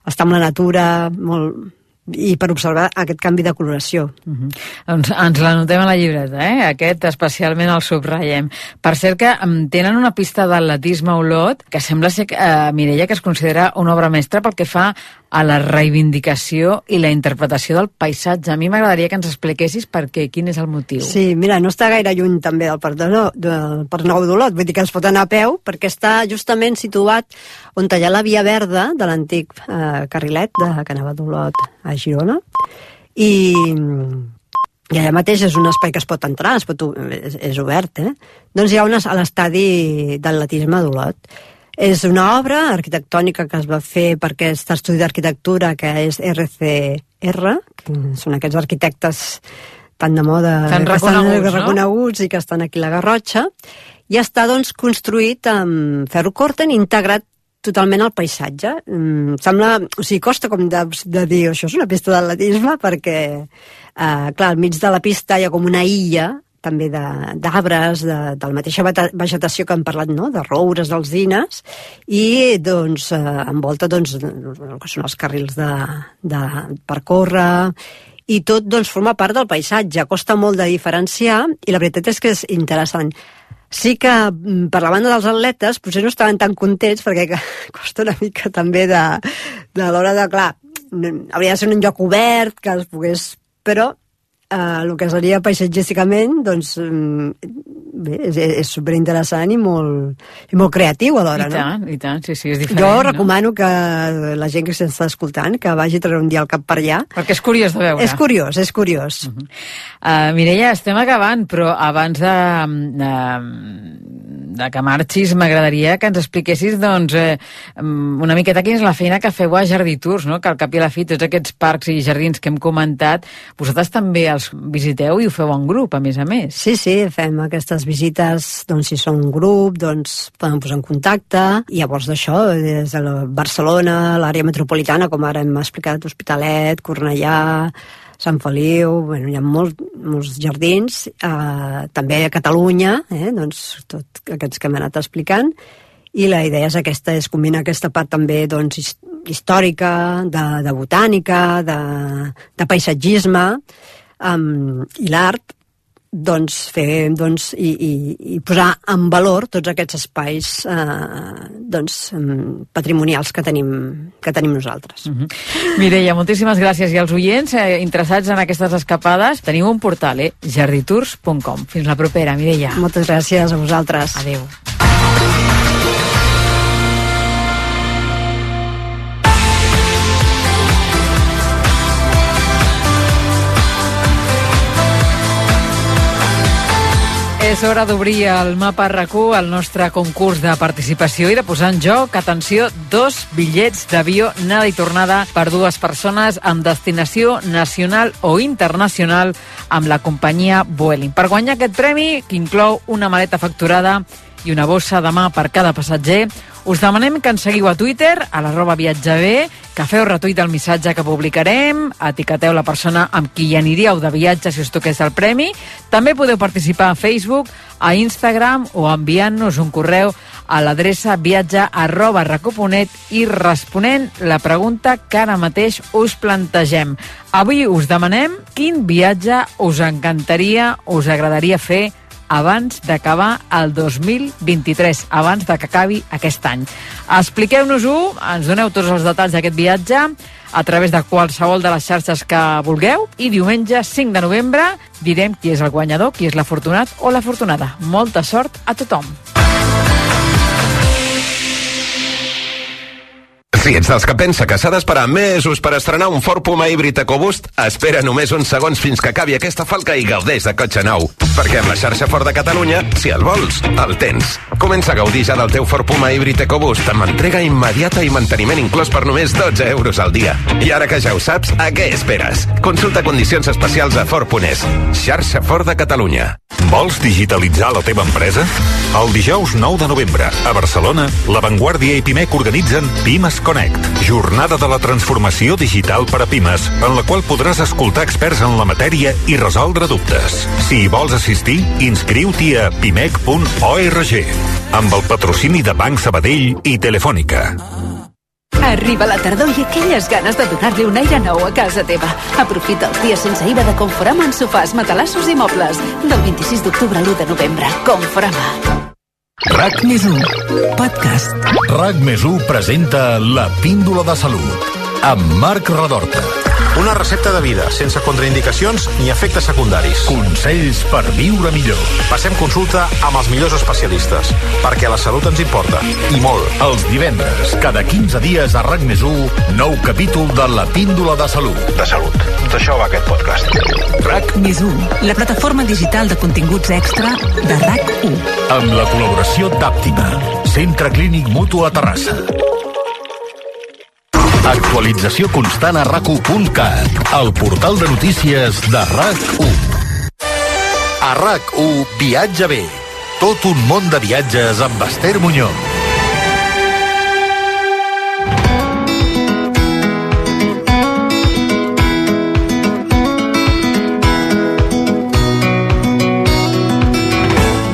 estar amb la natura, molt... i per observar aquest canvi de coloració. Uh-huh. Doncs ens l'anotem a la llibreta, eh? Aquest especialment el subratllem. Per cert que tenen una pista d'atletisme a Olot que sembla ser, eh, Mireia, que es considera una obra mestra pel que fa a la reivindicació i la interpretació del paisatge. A mi m'agradaria que ens expliquessis per què, quin és el motiu. Sí, mira, no està gaire lluny també del Parc, de no, del Parc Nou d'Olot, vull dir que es pot anar a peu, perquè està justament situat on hi ha la via verda de l'antic eh, carrilet de, que anava d'Olot a Girona, i, i allà mateix és un espai que es pot entrar, es pot, és, és obert, eh? Doncs hi ha una, a l'estadi d'atletisme d'Olot. És una obra arquitectònica que es va fer per aquest estudi d'arquitectura que és R C R, que són aquests arquitectes tan de moda, tan que reconeguts, estan no? reconeguts i que estan aquí a la Garrotxa, i està doncs construït amb ferro còrten integrat totalment al paisatge. Mm, sembla, o sigui, costa com de, de dir això és una pista d'atletisme perquè, eh, clar, al mig de la pista hi ha com una illa també d'arbres, de, de, de la mateixa vegetació que hem parlat, no? De roures, d'alzines, i doncs eh, envolta doncs, el que són els carrils de, de, per córrer, i tot doncs, forma part del paisatge. Costa molt de diferenciar, i la veritat és que és interessant. Sí que, per la banda dels atletes, potser no estaven tan contents, perquè costa una mica també de, de l'hora de, clar, hauria de ser un lloc obert, que es pogués... Però eh, el que seria paisatgísticament, doncs, bé, és, és superinteressant i molt, i molt creatiu alhora, no? I tant, i tant, sí, sí, és diferent. Jo recomano no? que la gent que s'està escoltant, que vagi a treure un dia al cap per allà. Perquè és curiós de veure. És curiós, és curiós. Uh -huh. uh, Mireia, estem acabant, però abans de, de, de que marxis m'agradaria que ens expliquessis doncs, eh, una miqueta quina és la feina que feu a Jardí Tours, no? Que al cap i a la fi tots aquests parcs i jardins que hem comentat, vosaltres també els visiteu i ho feu en grup, a més a més. Sí, sí, fem aquestes visites, doncs si són un grup, doncs podem posar en contacte, i llavors d'això, des de la Barcelona, l'àrea metropolitana, com ara hem explicat, Hospitalet, Cornellà, Sant Feliu, bueno, hi ha molt, molts jardins, eh, també a Catalunya, eh, doncs tots aquests que hem anat explicant, i la idea és aquesta, és combinar aquesta part també doncs, històrica, de, de botànica, de, de paisatgisme, um, i l'art, doncs fer doncs, i, i, i posar en valor tots aquests espais eh, doncs, patrimonials que tenim, que tenim nosaltres. Uh-huh. Mireia, moltíssimes gràcies. I als oients eh, interessats en aquestes escapades, teniu un portal, eh? jarditours punt com. Fins la propera, Mireia. Moltes gràcies a vosaltres. Adéu. És hora d'obrir el mapa R A C U, el nostre concurs de participació i de posar en joc, atenció, dos bitllets d'avió anada i tornada per dues persones amb destinació nacional o internacional amb la companyia Vueling. Per guanyar aquest premi, que inclou una maleta facturada i una bossa de mà per cada passatger, us demanem que ens seguiu a Twitter, a l'arroba viatjabé, que feu retuit del missatge que publicarem, etiqueteu la persona amb qui hi aniríeu de viatge si us toqués el premi. També podeu participar a Facebook, a Instagram o enviant-nos un correu a l'adreça viatge arroba racu punt net i responent la pregunta que ara mateix us plantegem. Avui us demanem quin viatge us encantaria, us agradaria fer abans d'acabar el dos mil vint-i-tres, abans de que acabi aquest any. Expliqueu-nos-ho, ens doneu tots els detalls d'aquest viatge a través de qualsevol de les xarxes que vulgueu, i diumenge cinc de novembre direm qui és el guanyador, qui és l'afortunat o l'afortunada. Molta sort a tothom! Si ets dels que pensa que s'ha d'esperar mesos per estrenar un Ford Puma híbrid EcoBoost, espera només uns segons fins que acabi aquesta falca i gaudeix de cotxe nou. Perquè amb la xarxa Ford de Catalunya, si el vols, el tens. Comença a gaudir ja del teu Ford Puma híbrid EcoBoost amb entrega immediata i manteniment inclòs per només dotze euros al dia. I ara que ja ho saps, a què esperes? Consulta condicions especials a Ford punt es. Xarxa Ford de Catalunya. Vols digitalitzar la teva empresa? El dijous nou de novembre, a Barcelona, La Vanguardia i Pimec organitzen Pimes Connect, jornada de la transformació digital per a pimes, en la qual podràs escoltar experts en la matèria i resoldre dubtes. Si hi vols assistir, inscriu-t'hi a pimec punt org, amb el patrocini de Banc Sabadell i Telefònica. Arriba la tardor i aquelles ganes de donar-li un aire nou a casa teva. Aprofita els dies sense I V A de Conforama en sofàs, matalassos i mobles. Del vint-i-sis d'octubre a l'u de novembre. Conforama. R A C més u, podcast. R A C més u presenta La Píndola de Salut, amb Marc Redorta. Una recepta de vida, sense contraindicacions ni efectes secundaris. Consells per viure millor. Passem consulta amb els millors especialistes, perquè la salut ens importa, i molt. Els divendres, cada quinze dies a RAC més u, nou capítol de La Píndola de Salut. De salut. D'això va aquest podcast. RAC més u, la plataforma digital de continguts extra de RAC u. Amb la col·laboració d'Àptima, Centre Clínic Mutu a Terrassa. Actualització constant a rac u punt cat, el portal de notícies de RAC u. A RAC u, Viatge bé. Tot un món de viatges amb Esther Muñoz.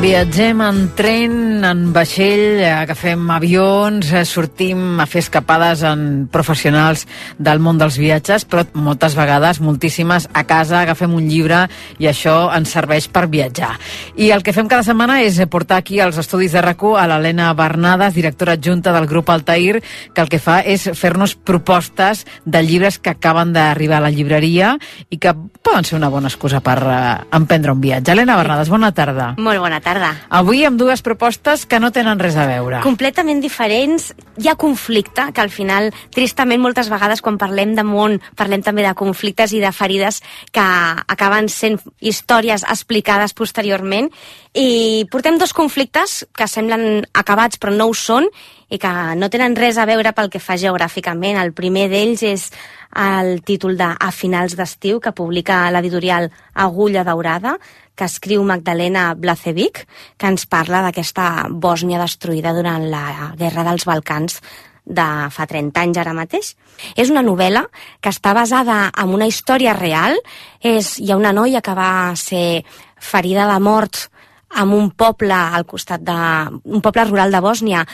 Viatgem en tren, en vaixell, agafem avions, sortim a fer escapades en professionals del món dels viatges, però moltes vegades, moltíssimes, a casa agafem un llibre i això ens serveix per viatjar. I el que fem cada setmana és portar aquí als estudis de RAC u a l'Helena Bernades, directora adjunta del grup Altair, que el que fa és fer-nos propostes de llibres que acaben d'arribar a la llibreria i que poden ser una bona excusa per uh, emprendre un viatge. Helena Bernades, bona tarda. Molt bona tarda. Avui amb dues propostes que no tenen res a veure. Completament diferents. Hi ha conflicte, que al final, tristament, moltes vegades quan parlem de món, parlem també de conflictes i de ferides que acaben sent històries explicades posteriorment. I portem dos conflictes que semblen acabats però no ho són i que no tenen res a veure pel que fa geogràficament. El primer d'ells és el títol de A finals d'estiu, que publica l'editorial Agulla Daurada, que escriu Magdalena Blazevic, que ens parla d'aquesta Bòsnia destruïda durant la Guerra dels Balcans de fa trenta anys ara mateix. És una novel·la que està basada en una història real. És, hi ha una noia que va ser ferida de mort en un poble al costat de... un poble rural de Bòsnia,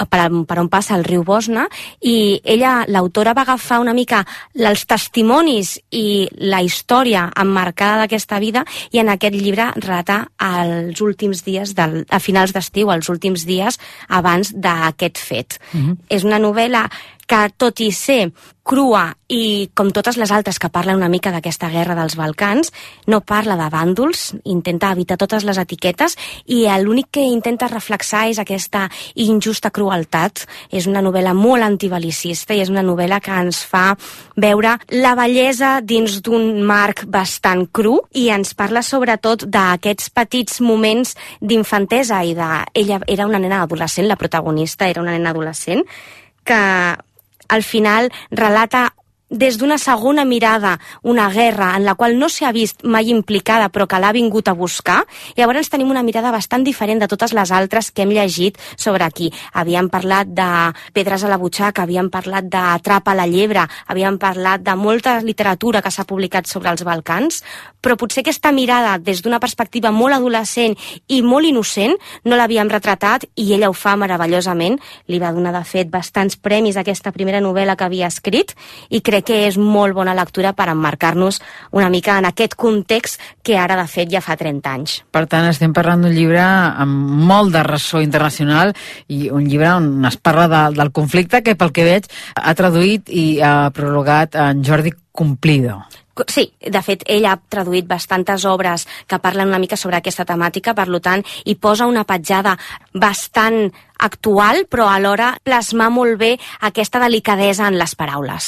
per, per on passa el riu Bosna, i ella, l'autora, va agafar una mica els testimonis i la història emmarcada d'aquesta vida i en aquest llibre relata els últims dies, del, a finals d'estiu, els últims dies abans d'aquest fet. Mm-hmm. És una novel·la que, tot i ser crua i com totes les altres que parlen una mica d'aquesta guerra dels Balcans, no parla de bàndols, intenta evitar totes les etiquetes i l'únic que intenta reflexar és aquesta injusta crueltat. És una novel·la molt antibelicista i és una novel·la que ens fa veure la bellesa dins d'un marc bastant cru i ens parla sobretot d'aquests petits moments d'infantesa i de... Ella era una nena adolescent, la protagonista era una nena adolescent, que al final relata des d'una segona mirada una guerra en la qual no s'ha vist mai implicada però que l'ha vingut a buscar. I llavors tenim una mirada bastant diferent de totes les altres que hem llegit sobre aquí. Havíem parlat de Pedres a la butxaca, havíem parlat d'Atrapa la llebre, havíem parlat de molta literatura que s'ha publicat sobre els Balcans, però potser aquesta mirada des d'una perspectiva molt adolescent i molt innocent no l'havíem retratat i ella ho fa meravellosament. Li va donar, de fet, bastants premis a aquesta primera novel·la que havia escrit i crec que és molt bona lectura per emmarcar-nos una mica en aquest context que ara, de fet, ja fa trenta anys. Per tant, estem parlant d'un llibre amb molt de ressò internacional i un llibre on es parla de, del conflicte que, pel que veig, ha traduït i ha prologat en Jordi Cumplido. Sí, de fet, ell ha traduït bastantes obres que parlen una mica sobre aquesta temàtica, per tant, hi posa una petjada bastant actual, però alhora plasmar molt bé aquesta delicadesa en les paraules.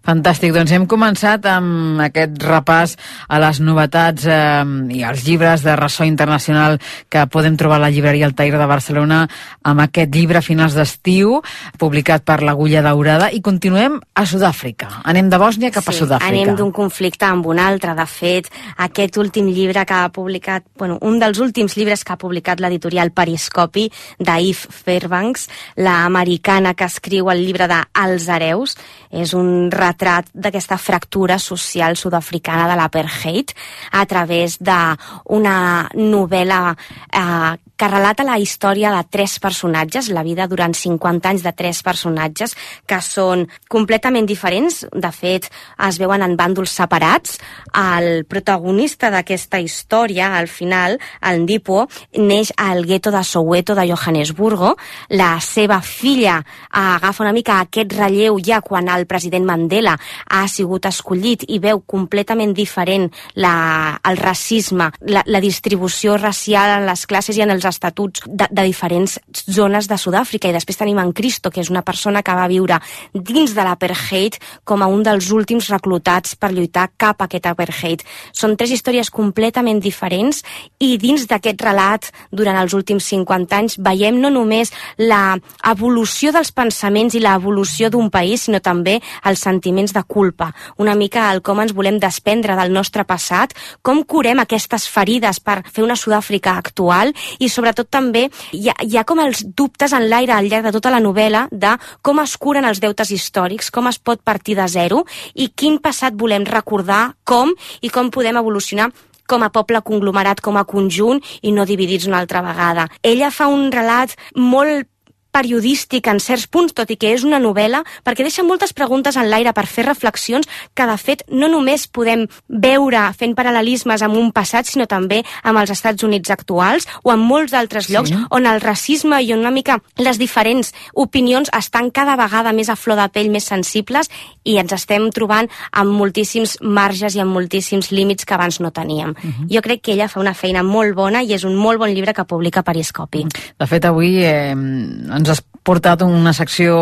Fantàstic, doncs hem començat amb aquest repàs a les novetats eh, i als llibres de ressò internacional que podem trobar a la llibreria Altair de Barcelona amb aquest llibre a finals d'estiu, publicat per l'Agulla Daurada, i continuem a Sud-àfrica. Anem de Bòsnia cap a sí, Sud-àfrica. Anem d'un conflicte amb un altre. De fet, aquest últim llibre que ha publicat, bueno, un dels últims llibres que ha publicat l'editorial Periscopi, d'Yves Fairbanks, la americana que escriu el llibre de Els hereus, és un retrat d'aquesta fractura social sud-africana de l'apartheid a través d'una novel·la eh, que relata la història de tres personatges, la vida durant cinquanta anys de tres personatges que són completament diferents. De fet, es veuen en bàndols separats. El protagonista d'aquesta història, al final, el Ndipo, neix al gueto de Soweto de Johannesburgo. La seva filla agafa una mica aquest relleu ja quan el president Mandela ha sigut escollit i veu completament diferent la, el racisme, la, la distribució racial en les classes i en els estatuts de, de diferents zones de Sud-àfrica. I després tenim en Cristo, que és una persona que va viure dins de l'apartheid com a un dels últims reclutats per lluitar cap a aquest apartheid. Són tres històries completament diferents i dins d'aquest relat, durant els últims cinquanta anys, veiem no només la evolució dels pensaments i l'evolució d'un país, sinó també els sentiments de culpa. Una mica el com ens volem desprendre del nostre passat, com curem aquestes ferides per fer una Sud-àfrica actual i sobretot també hi ha, hi ha com els dubtes en l'aire al llarg de tota la novel·la de com es curen els deutes històrics, com es pot partir de zero i quin passat volem recordar, com i com podem evolucionar com a poble conglomerat, com a conjunt i no dividits una altra vegada. Ella fa un relat molt periodístic en certs punts, tot i que és una novel·la, perquè deixa moltes preguntes en l'aire per fer reflexions que, de fet, no només podem veure fent paral·lelismes amb un passat, sinó també amb els Estats Units actuals o en molts altres llocs sí. on el racisme i una mica les diferents opinions estan cada vegada més a flor de pell, més sensibles, i ens estem trobant amb moltíssims marges i amb moltíssims límits que abans no teníem. Uh-huh. Jo crec que ella fa una feina molt bona i és un molt bon llibre que publica Periscopi. De fet, avui eh, ens has portat una secció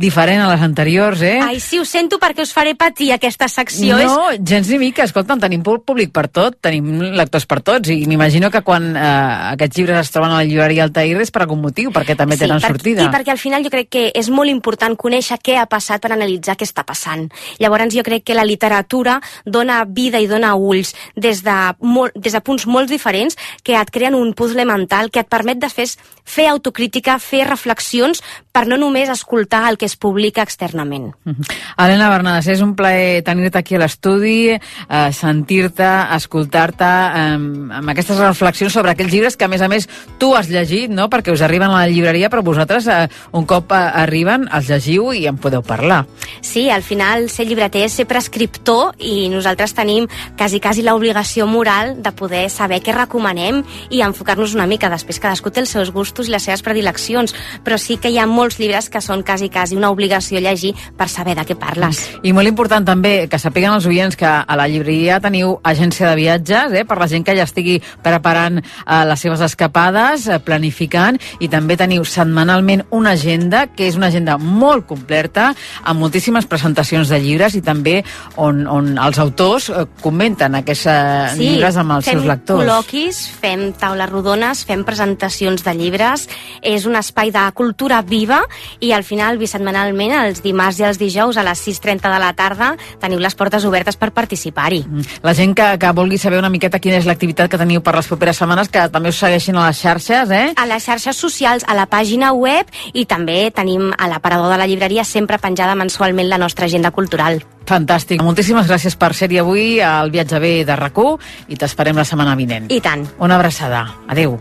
diferent a les anteriors, eh? Ai, sí, ho sento perquè us faré patir aquesta secció. No, és... gens ni mica. Escolta'm, tenim públic per tot, tenim lectors per tots, i m'imagino que quan eh, aquests llibres es troben a la llibreria Altair és per algun motiu, perquè també sí, tenen per, sortida. I perquè al final jo crec que és molt important conèixer què ha passat per analitzar què està passant. Llavors jo crec que la literatura dona vida i dona ulls des de, molt, des de punts molt diferents que et creen un puzzle mental que et permet de fer, fer autocrítica, fer reflexions per no només escoltar el que es publica externament. Uh-huh. Helena Bernades, és un plaer tenir-te aquí a l'estudi, eh, sentir-te, escoltar-te eh, amb aquestes reflexions sobre aquells llibres que, a més a més, tu has llegit, no?, perquè us arriben a la llibreria, però vosaltres, eh, un cop eh, arriben, els llegiu i en podeu parlar. Sí, al final ser llibreter és ser prescriptor i nosaltres tenim quasi, quasi l'obligació moral de poder saber què recomanem i enfocar-nos una mica. Després cadascú té els seus gustos i les seves predileccions, però sí que hi ha molts llibres que són quasi, quasi una obligació llegir per saber de què parles. I molt important també que sapiguen els oients que a la llibreria teniu agència de viatges, eh, per la gent que ja estigui preparant eh, les seves escapades, eh, planificant, i també teniu setmanalment una agenda, que és una agenda molt completa, amb moltíssimes presentacions de llibres i també on, on els autors eh, comenten aquests eh, sí, llibres amb els seus lectors. Fem col·loquis, fem taules rodones, fem presentacions de llibres, és un espai de cultura viva i al final, bisetmanalment, els dimarts i els dijous a les sis i trenta de la tarda teniu les portes obertes per participar-hi. La gent que, que vulgui saber una miqueta quina és l'activitat que teniu per les properes setmanes, que també us segueixin a les xarxes, eh? A les xarxes socials, a la pàgina web, i també tenim a l'aparador de la llibreria sempre penjada mensualment la nostra agenda cultural. Fantàstic. Moltíssimes gràcies per ser-hi avui al Viatge B de RAC u i t'esperem la setmana vinent. I tant. Una abraçada. Adéu.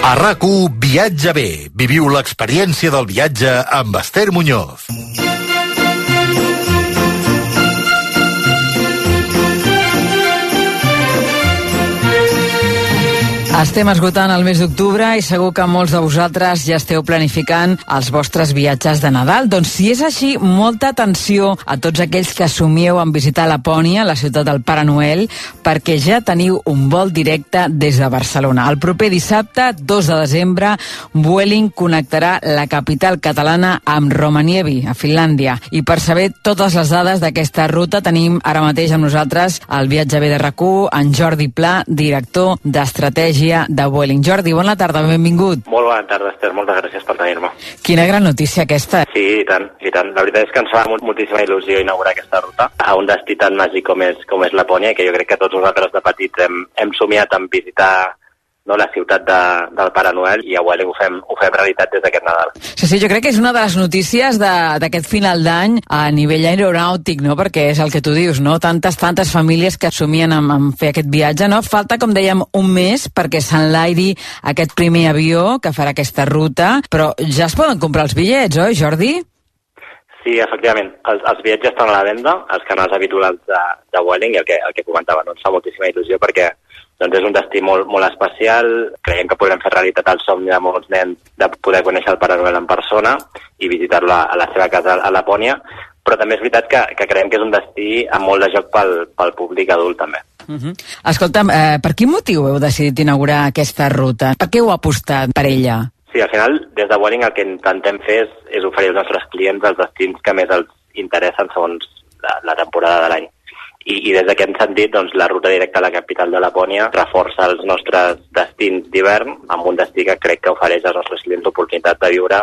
A RAC u Viatge B. Viviu l'experiència del viatge amb Esther Muñoz. Estem esgotant el mes d'octubre i segur que molts de vosaltres ja esteu planificant els vostres viatges de Nadal. Doncs si és així, molta atenció a tots aquells que somieu en visitar Lapònia, la ciutat del Pare Noel, perquè ja teniu un vol directe des de Barcelona. El proper dissabte, dos de desembre, Vueling connectarà la capital catalana amb Rovaniemi, a Finlàndia. I per saber totes les dades d'aquesta ruta tenim ara mateix amb nosaltres al Viatge B de RAC u, en Jordi Pla, director d'Estratègia de Vueling. Jordi, bona tarda, benvingut. Molt bona tarda, Esther, moltes gràcies per tenir-me. Quina gran notícia aquesta. Sí, i tant, i tant. La veritat és que ens fa moltíssima il·lusió inaugurar aquesta ruta a un destí tan màgic com és, com és Lapònia, que jo crec que tots nosaltres de petits hem, hem somiat en visitar no, la ciutat de, del Pare Noel, i a Vueling ho fem, ho fem realitat des d'aquest Nadal. Sí, sí, jo crec que és una de les notícies d'aquest final d'any a nivell aeronàutic, no? Perquè és el que tu dius, no? Tantes, tantes famílies que somien en, en fer aquest viatge, no? Falta, com dèiem, un mes perquè s'enlairi aquest primer avió que farà aquesta ruta, però ja es poden comprar els bitllets, oi, Jordi? Sí, efectivament. Els, els bitllets estan a la venda, els canals habituals de, de Vueling, i el que, el que comentava, no? Ens fa moltíssima il·lusió perquè doncs és un destí molt, molt especial. Creiem que podrem fer realitat el somni de molts nens de poder conèixer el Pare Noel en persona i visitar-lo a la seva casa a Lapònia, però també és veritat que, que creiem que és un destí amb molt de joc pel, pel públic adult també. Uh-huh. Escolta'm, eh, per quin motiu heu decidit inaugurar aquesta ruta? Per què heu apostat per ella? Sí, al final, des de Vueling el que intentem fer és, és oferir als nostres clients els destins que més els interessen segons la, la temporada de l'any. I, i des d'aquest sentit, doncs, la ruta directa a la capital de Lapònia reforça els nostres destins d'hivern amb un destí que crec que ofereix als nostres clients l'oportunitat de viure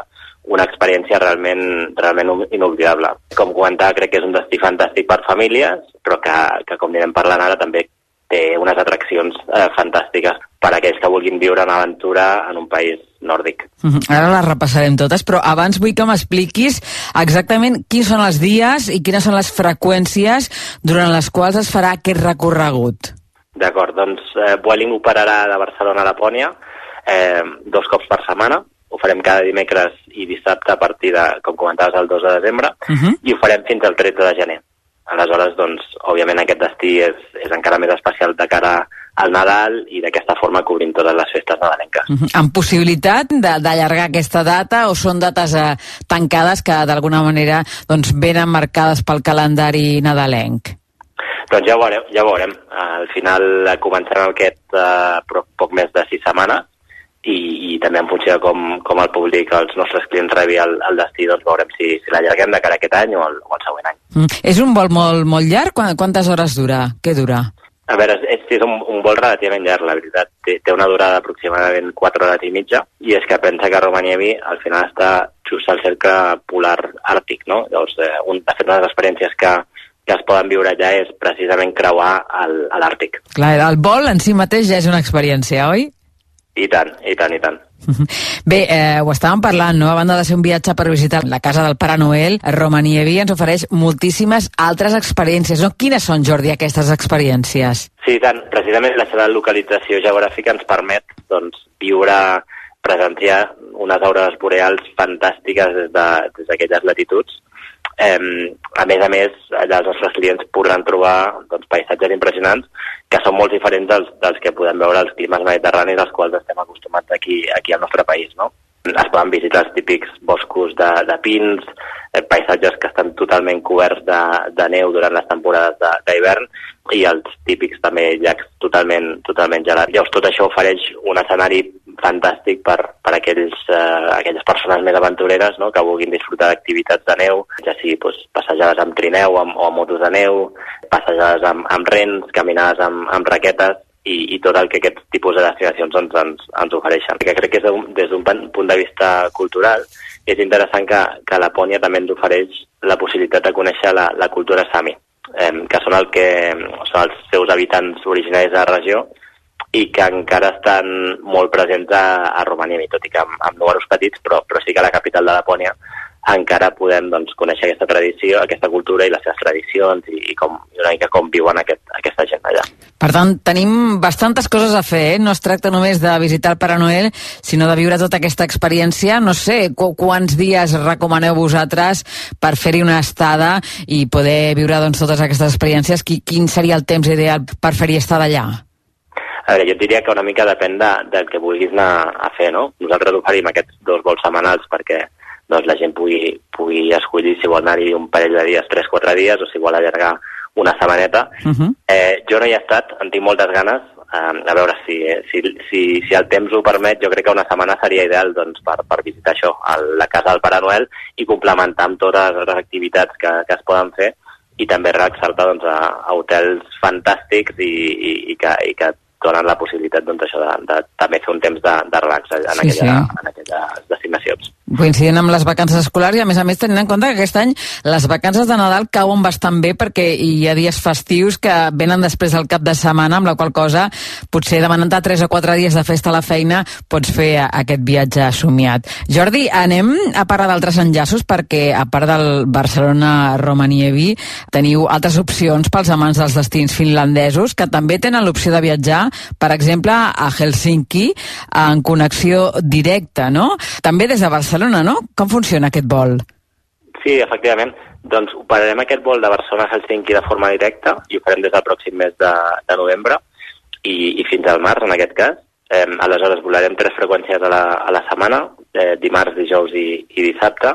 una experiència realment, realment inoblidable. Com comentava, crec que és un destí fantàstic per famílies, però que, que com anirem parlant ara, també té unes atraccions eh, fantàstiques per a aquells que vulguin viure una aventura en un país nòrdic. Uh-huh. Ara les repassarem totes, però abans vull que m'expliquis exactament quins són els dies i quines són les freqüències durant les quals es farà aquest recorregut. D'acord, doncs eh, Vueling operarà de Barcelona a Lapònia eh, dos cops per setmana. Ho farem cada dimecres i dissabte a partir de, com comentaves, el dos de desembre, uh-huh. i ho farem fins al tretze de gener. Aleshores, doncs, òbviament aquest destí és, és encara més especial de cara al Nadal i d'aquesta forma cobrim totes les festes nadalenques. Uh-huh. Amb possibilitat d'allargar aquesta data o són dates eh, tancades que d'alguna manera doncs, venen marcades pel calendari nadalenc? Doncs ja ho veurem. Ja ho veurem. Al final començarem aquest eh, poc més de sis setmanes i, i també en funció de com, com el públic, els nostres clients rebi el, el destí, doncs veurem si, si l'allarguem de cara a aquest any o el, o el següent any. Mm. És un vol molt, molt llarg? Quantes hores dura? Què dura? A veure, és, és un, un vol relativament llarg, la veritat. Té, té una durada d'aproximadament quatre hores i mitja, i és que pensa que Rovaniemi al final està just al cercle polar àrtic, no? Llavors, eh, un, de fet, una de les experiències que, que es poden viure allà és precisament creuar el, a l'Àrtic. Clar, el vol en si mateix ja és una experiència, oi? I tant, i tant, i tant. Bé, eh, ho estàvem parlant, no? A banda de ser un viatge per visitar la casa del Pare Noel, Rovaniemi ens ofereix moltíssimes altres experiències, no? Quines són, Jordi, aquestes experiències? Sí, i tant. Precisament la seva localització geogràfica ens permet, doncs, viure, presenciar unes aurores boreals fantàstiques des de, des d'aquelles latituds. Eh, a més a més, allà els nostres clients podran trobar doncs, paisatges impressionants que són molt diferents dels, dels que podem veure als climes mediterranis als quals estem acostumats aquí, aquí al nostre país, no? Es poden visitar els típics boscos de, de pins, eh, paisatges que estan totalment coberts de, de neu durant les temporades d'hivern i els típics també llacs totalment, totalment gelats. Llavors tot això ofereix un escenari fantàstic per, per aquells, eh, aquelles persones més aventureres, no?, que vulguin disfrutar d'activitats de neu, ja sigui doncs, passejades amb trineu amb, o amb motos de neu, passejades amb, amb rens, caminades amb, amb raquetes i, i tot el que aquest tipus de destinacions ens, ens, ens ofereixen. Que crec que des d'un punt de vista cultural és interessant que, que Lapònia també ens ofereix la possibilitat de conèixer la, la cultura Sami, eh, que són, el que són els seus habitants originaris de la regió i que encara estan molt presents a, a Rovaniemi, tot i que amb, amb números petits, però, però sí que a la capital de Lapònia encara podem doncs, conèixer aquesta tradició, aquesta cultura i les seves tradicions i, i, com, i una mica com viuen aquest, aquesta gent allà. Per tant, tenim bastantes coses a fer, eh? No es tracta només de visitar el Pare Noel, sinó de viure tota aquesta experiència. No sé qu quants dies recomaneu vosaltres per fer-hi una estada i poder viure doncs, totes aquestes experiències. Qui, quin seria el temps ideal per fer-hi estada allà? A veure, jo et diria que una mica depèn de, del que vulguis anar a fer, no? Nosaltres oferim aquests dos vols setmanals perquè doncs, la gent pugui, pugui escollir si vol anar-hi un parell de dies, tres, quatre dies, o si vol allargar una setmaneta. Uh-huh. eh, jo no hi he estat, en tinc moltes ganes, eh, a veure si, si, si, si el temps ho permet, jo crec que una setmana seria ideal doncs, per, per visitar això, a la casa del Pare Noel, i complementar amb totes les activitats que, que es poden fer, i també relaxar-te doncs, a, a hotels fantàstics i, i, i, que, i que donen la possibilitat doncs, això de, de també fer un temps de, de relax en, sí, aquella, sí. en aquelles destinacions. Coincidint amb les vacances escolars i, a més a més, tenint en compte que aquest any les vacances de Nadal cauen bastant bé perquè hi ha dies festius que venen després del cap de setmana, amb la qual cosa potser demanant tres o quatre dies de festa a la feina pots fer aquest viatge somiat. Jordi, anem a parlar d'altres enllaços perquè, a part del Barcelona-Romaniemi, teniu altres opcions pels amants dels destins finlandesos que també tenen l'opció de viatjar, per exemple, a Helsinki en connexió directa, no? També des de Barcelona, no? Com funciona aquest vol? Sí, efectivament. Doncs operarem aquest vol de Barcelona a Helsinki de forma directa i ho farem des del pròxim mes de, de novembre i, i fins al març, en aquest cas. Eh, aleshores, volarem tres freqüències a la, a la setmana, eh, dimarts, dijous i, i dissabte,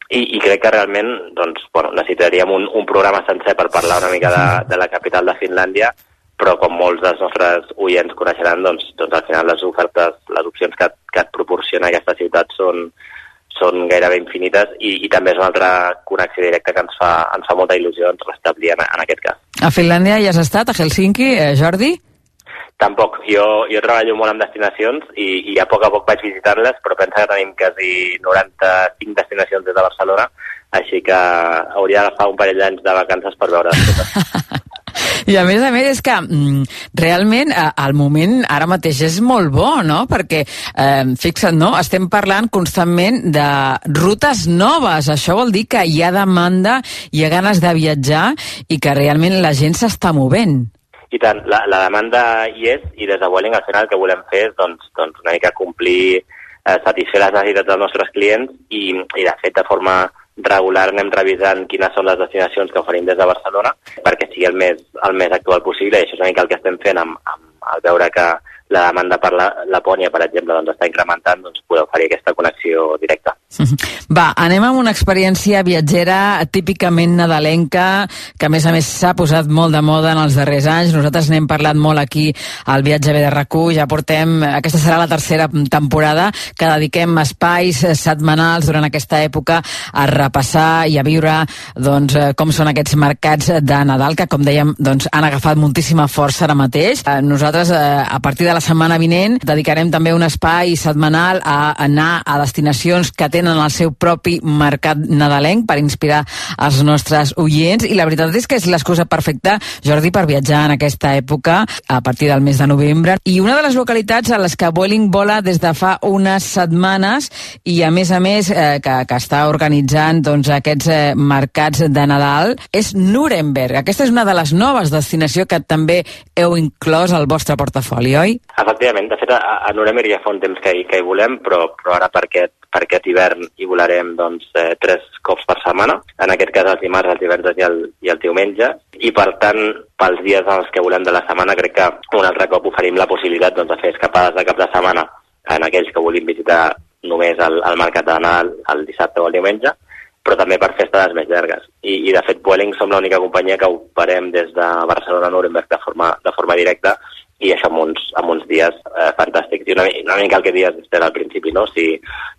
i, i crec que realment doncs, bueno, necessitaríem un, un programa sencer per parlar una mica de, de la capital de Finlàndia, però com molts dels nostres oients coneixeran, doncs, doncs al final les ofertes, les opcions que, que et proporciona aquesta ciutat són, són gairebé infinites i, i també és una altra connexió directa que ens fa, ens fa molta il·lusió ens restablir en, en aquest cas. A Finlàndia ja has estat, a Helsinki, eh, Jordi? Tampoc. Jo, jo treballo molt amb destinacions i, i a poc a poc vaig visitar-les, però pensa que tenim quasi noranta-cinc destinacions des de Barcelona, així que hauria d'agafar un parell d'anys de vacances per veure-les totes. I a més a més és que mm, realment eh, el moment ara mateix és molt bo, no? Perquè, eh, fixa't, no? Estem parlant constantment de rutes noves. Això vol dir que hi ha demanda, hi ha ganes de viatjar i que realment la gent s'està movent. I tant, la, la demanda hi és i des de Vueling al final el que volem fer és doncs, doncs una mica complir, eh, satisfer les necessitats dels nostres clients i, i de fet de forma regular anem revisant quines són les destinacions que oferim des de Barcelona perquè sigui el més, el més actual possible i això és una mica el que estem fent amb, amb el veure que la demanda per la Lapònia, per exemple, doncs està incrementant, doncs poder oferir aquesta connexió directa. Va, anem amb una experiència viatgera típicament nadalenca, que a més a més s'ha posat molt de moda en els darrers anys. Nosaltres n'hem parlat molt aquí al Viatge B de R A C U, ja portem, aquesta serà la tercera temporada, que dediquem espais setmanals durant aquesta època a repassar i a viure doncs, com són aquests mercats de Nadal, que com dèiem doncs, han agafat moltíssima força ara mateix. Nosaltres, a partir de la setmana vinent, dedicarem també un espai setmanal a anar a destinacions que tenen el seu propi mercat nadalenc per inspirar els nostres oients, i la veritat és que és l'excusa perfecta, Jordi, per viatjar en aquesta època a partir del mes de novembre. I una de les localitats a les que Vueling vola des de fa unes setmanes i a més a més eh, que, que està organitzant doncs, aquests eh, mercats de Nadal és Nuremberg. Aquesta és una de les noves destinacions que també heu inclòs al vostre portafoli, oi? Efectivament, de fet a, a Nuremberg ja fa un temps que hi, que hi volem, però, però ara per aquest, per aquest hivern hi volarem doncs, eh, tres cops per setmana, en aquest cas els dimarts, els divendres i el, i el diumenge, i per tant, pels dies en els que volem de la setmana, crec que un altre cop oferim la possibilitat doncs, de fer escapades de cap de setmana en aquells que vulguin visitar només el, el mercat de Nadal el dissabte o el diumenge, però també per fer estades més llargues. I, i de fet, Vueling som l'única companyia que operem des de Barcelona a Nuremberg de forma, de forma directa, i això amb uns, amb uns dies eh, fantàstics. I una, una mica el que dies al principi, no? Si,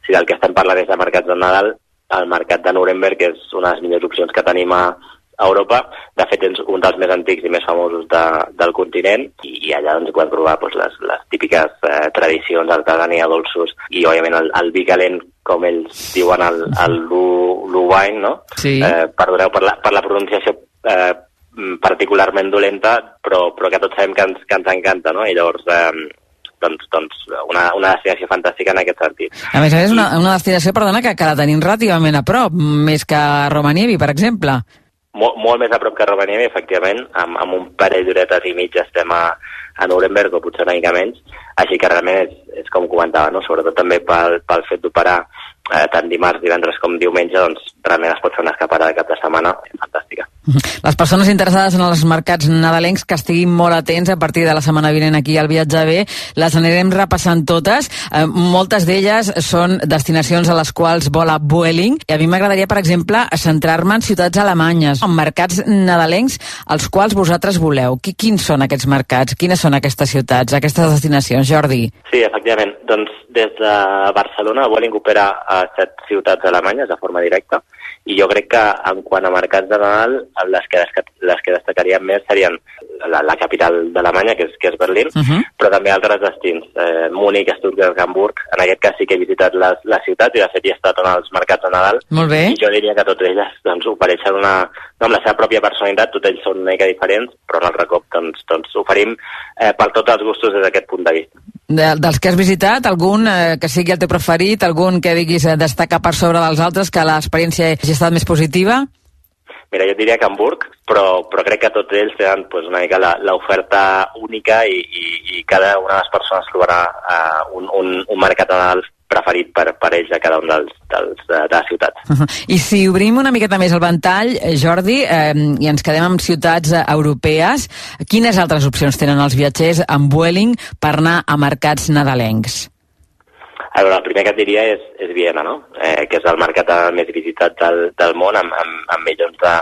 si del que estem parlant és de mercats de Nadal, el mercat de Nuremberg és una de les millors opcions que tenim a Europa. De fet, és un dels més antics i més famosos de, del continent, i, i allà doncs, podem provar doncs, les, les típiques eh, tradicions, artesania, dolços, i òbviament el, el vi calent, com ells diuen, el, el Glühwein, no? Sí. Eh, perdoneu per la, per la pronunciació eh, particularment dolenta, però, però que tots sabem que ens, que ens encanta, no? I llavors, eh, doncs, doncs una, una destinació fantàstica en aquest sentit. A més a més, una, una destinació, perdona, que, que la tenim relativament a prop, més que Romaniemi, per exemple. Molt, molt més a prop que Romaniemi, efectivament, amb, amb un parell d'horetes i mig estem a, a Nuremberg, o potser una mica menys, així que realment és, és com comentava, no? Sobretot també pel, pel fet d'operar eh, tant dimarts, divendres com diumenge, doncs realment es pot fer una escapada de cap de setmana fantàstica. Les persones interessades en els mercats nadalencs que estiguin molt atents a partir de la setmana vinent aquí al Viatge B, les anirem repassant totes. Eh, moltes d'elles són destinacions a les quals vola Vueling, i a mi m'agradaria, per exemple, centrar-me en ciutats alemanyes, en mercats nadalencs als quals vosaltres voleu. Quins són aquests mercats? Quines són aquestes ciutats, aquestes destinacions, Jordi? Sí, efectivament. Doncs des de Barcelona, Vueling opera a set ciutats alemanyes de forma directa, i jo crec que en quant a mercats de Nadal, les que, les que destacaríem més serien la, la capital d'Alemanya, que és, que és Berlín, uh-huh. però també altres destins, eh, Múnich, Stuttgart, Hamburg. En aquest cas sí que he visitat les, les ciutats i de fet hi he estat en els mercats de Nadal. Molt bé. I jo diria que totes elles doncs, ofereixen una, no, amb la seva pròpia personalitat, tots ells són una mica diferents, però en altre cop doncs, doncs oferim eh, per tots els gustos des d'aquest punt de vista. De, dels que has visitat, algun eh, que sigui el teu preferit, algun que diguis eh, destacar per sobre dels altres, que l'experiència hagi estat més positiva? Mira, jo diria que Hamburg, però, però crec que tots ells tenen pues, una mica l'oferta única i, i, i cada una de les persones trobarà uh, un, un, un mercat de Nadal preferit per, per ells a cada un dels, dels, de, de les ciutats. Uh-huh. I si obrim una miqueta més el ventall, Jordi, eh, i ens quedem amb ciutats eh, europees, quines altres opcions tenen els viatgers amb Vueling per anar a mercats nadalencs? A veure, el primer que et diria és, és Viena, no? Eh, que és el mercat més visitat del, del món, amb, amb, amb milions de,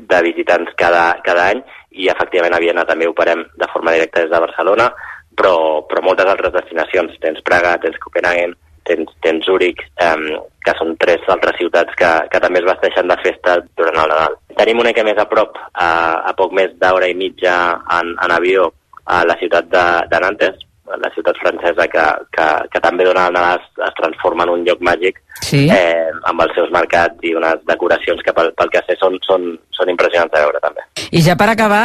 de visitants cada, cada any, i efectivament a Viena també operem de forma directa des de Barcelona, però, però moltes altres destinacions. Tens Praga, tens Copenhagen, tens, tens Zúrich, eh, que són tres altres ciutats que, que també es vesteixen de festa durant el Nadal. Tenim una mica més a prop, a, a poc més d'hora i mitja en, en avió, a la ciutat de, de Nantes, la ciutat francesa que, que, que també dona el Nadal, es, es transforma en un lloc màgic, sí. eh, amb els seus mercats i unes decoracions que pel, pel que sé són, són, són impressionants de veure també. I ja per acabar,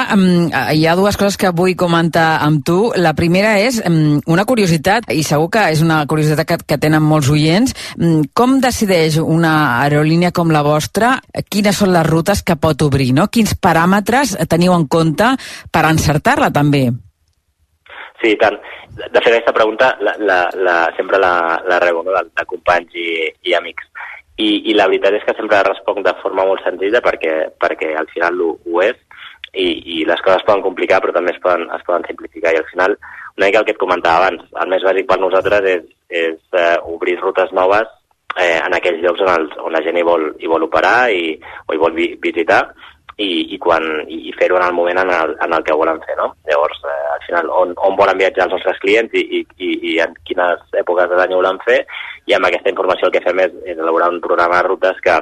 hi ha dues coses que vull comentar amb tu. La primera és una curiositat, i segur que és una curiositat que, que tenen molts oients. Com decideix una aerolínia com la vostra quines són les rutes que pot obrir, no? Quins paràmetres teniu en compte per encertar-la també? Sí, tant. De fet, aquesta pregunta la, la, la, sempre la, la rebo, no? de, de companys i, i amics. I, I la veritat és que sempre responc de forma molt senzilla perquè, perquè al final ho, ho és i, i les coses es poden complicar però també es poden, es poden simplificar. I al final, una mica el que et comentava abans, el més bàsic per nosaltres és, és uh, obrir rutes noves eh, en aquells llocs on, els, on la gent hi vol, hi vol operar i, o hi vol vi, visitar. I, i, quan, i fer-ho en el moment en el, en el que volen fer, no? Llavors, eh, al final, on, on volen viatjar els nostres clients i, i, i, i en quines èpoques de l'any ho volen fer, i amb aquesta informació el que fem és, és elaborar un programa de rutes que,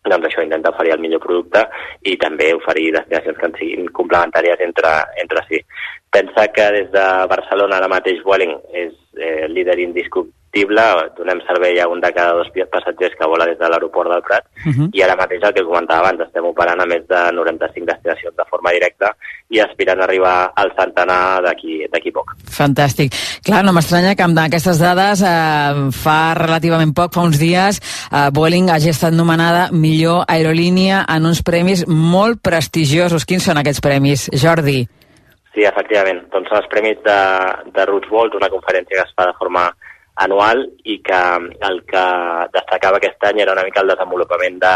doncs això, intenta oferir el millor producte i també oferir destinacions que en siguin complementàries entre, entre si. Pensa que des de Barcelona ara mateix Vueling és eh, líder indiscutible, donem servei a un de cada dos passatgers que vola des de l'aeroport del Prat, uh-huh. i ara mateix el que comentava abans, estem operant a més de noranta-cinc destinacions de forma directa i aspirant a arribar al centenar d'aquí d'aquí poc. Fantàstic. Clar, no m'estranya que amb aquestes dades eh, fa relativament poc, fa uns dies, eh, Vueling hagi estat nomenada millor aerolínia en uns premis molt prestigiosos. Quins són aquests premis, Jordi? Sí, efectivament. Doncs són els premis de, de Roots World, una conferència que es fa de forma anual i que el que destacava aquest any era una mica el desenvolupament de,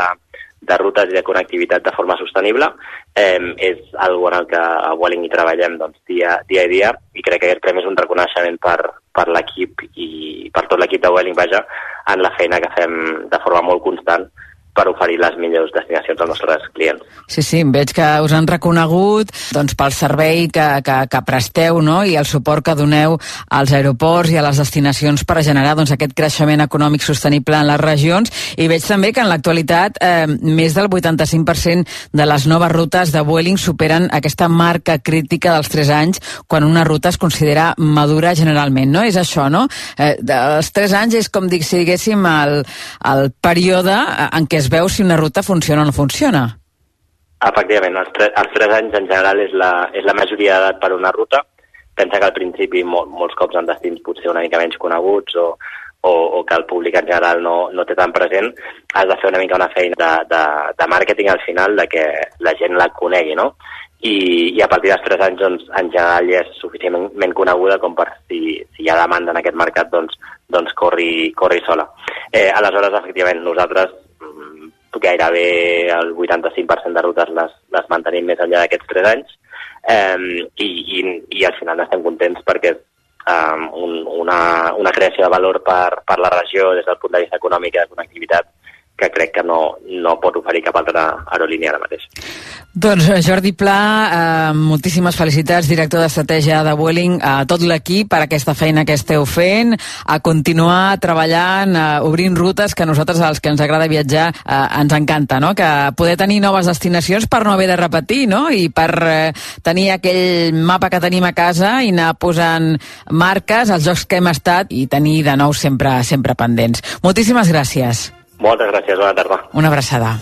de rutes i de connectivitat de forma sostenible. Eh, és algo en el que a Vueling hi treballem doncs, dia, dia a dia i crec que aquest premi és un reconeixement per, per l'equip i per tot l'equip de Vueling, vaja, en la feina que fem de forma molt constant per oferir les millors destinacions als nostres clients. Sí, sí, veig que us han reconegut doncs, pel servei que, que, que presteu, no? I el suport que doneu als aeroports i a les destinacions per generar doncs, aquest creixement econòmic sostenible en les regions. I veig també que en l'actualitat eh, més del vuitanta-cinc per cent de les noves rutes de Vueling superen aquesta marca crítica dels tres anys quan una ruta es considera madura generalment, no? És això, no? Eh, els tres anys és com dic, si diguéssim el, el període en què es veu si una ruta funciona o no funciona. Efectivament, els, tre els tres anys en general és la, és la majoria d'edat per una ruta. Pensa que al principi mol molts cops en destins potser una mica menys coneguts o, o, o que el públic en general no, no té tan present, has de fer una mica una feina de, de, de màrqueting al final, de que la gent la conegui, no? I, i a partir dels tres anys, doncs, en general ja és suficientment coneguda com per si, si hi ha demanda en aquest mercat, doncs, doncs corri, corri sola. Eh, aleshores, efectivament, nosaltres gairebé el vuitanta-cinc per cent de rutes les, les mantenim més enllà d'aquests tres anys eh, i, i, i al final estem contents perquè és um, un, una, una creació de valor per, per la regió des del punt de vista econòmic i de connectivitat que crec que no, no pot oferir cap altra aerolínia ara mateix. Doncs Jordi Pla, eh, moltíssimes felicitats, director d'estratègia de Vueling, a tot l'equip per aquesta feina que esteu fent, a continuar treballant, eh, obrint rutes que a nosaltres, als que ens agrada viatjar, eh, ens encanta, no? Que poder tenir noves destinacions per no haver de repetir, no? I per eh, tenir aquell mapa que tenim a casa i anar posant marques als llocs que hem estat i tenir de nou sempre, sempre pendents. Moltíssimes gràcies. Moltes gràcies, bona tarda. Una abraçada.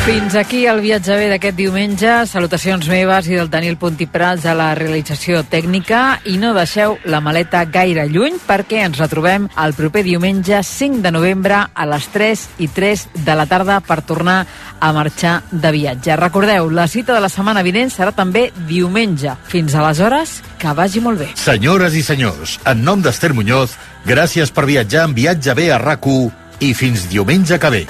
Fins aquí el viatge bé d'aquest diumenge. Salutacions meves i del Daniel Puntiprals a la realització tècnica, i no deixeu la maleta gaire lluny perquè ens retrobem el proper diumenge cinc de novembre a les tres i tres de la tarda per tornar a marxar de viatge. Recordeu, la cita de la setmana vinent serà també diumenge. Fins aleshores, que vagi molt bé. Senyores i senyors, en nom d'Ester Muñoz, gràcies per viatjar en Viatge bé a RAC u i fins diumenge que ve.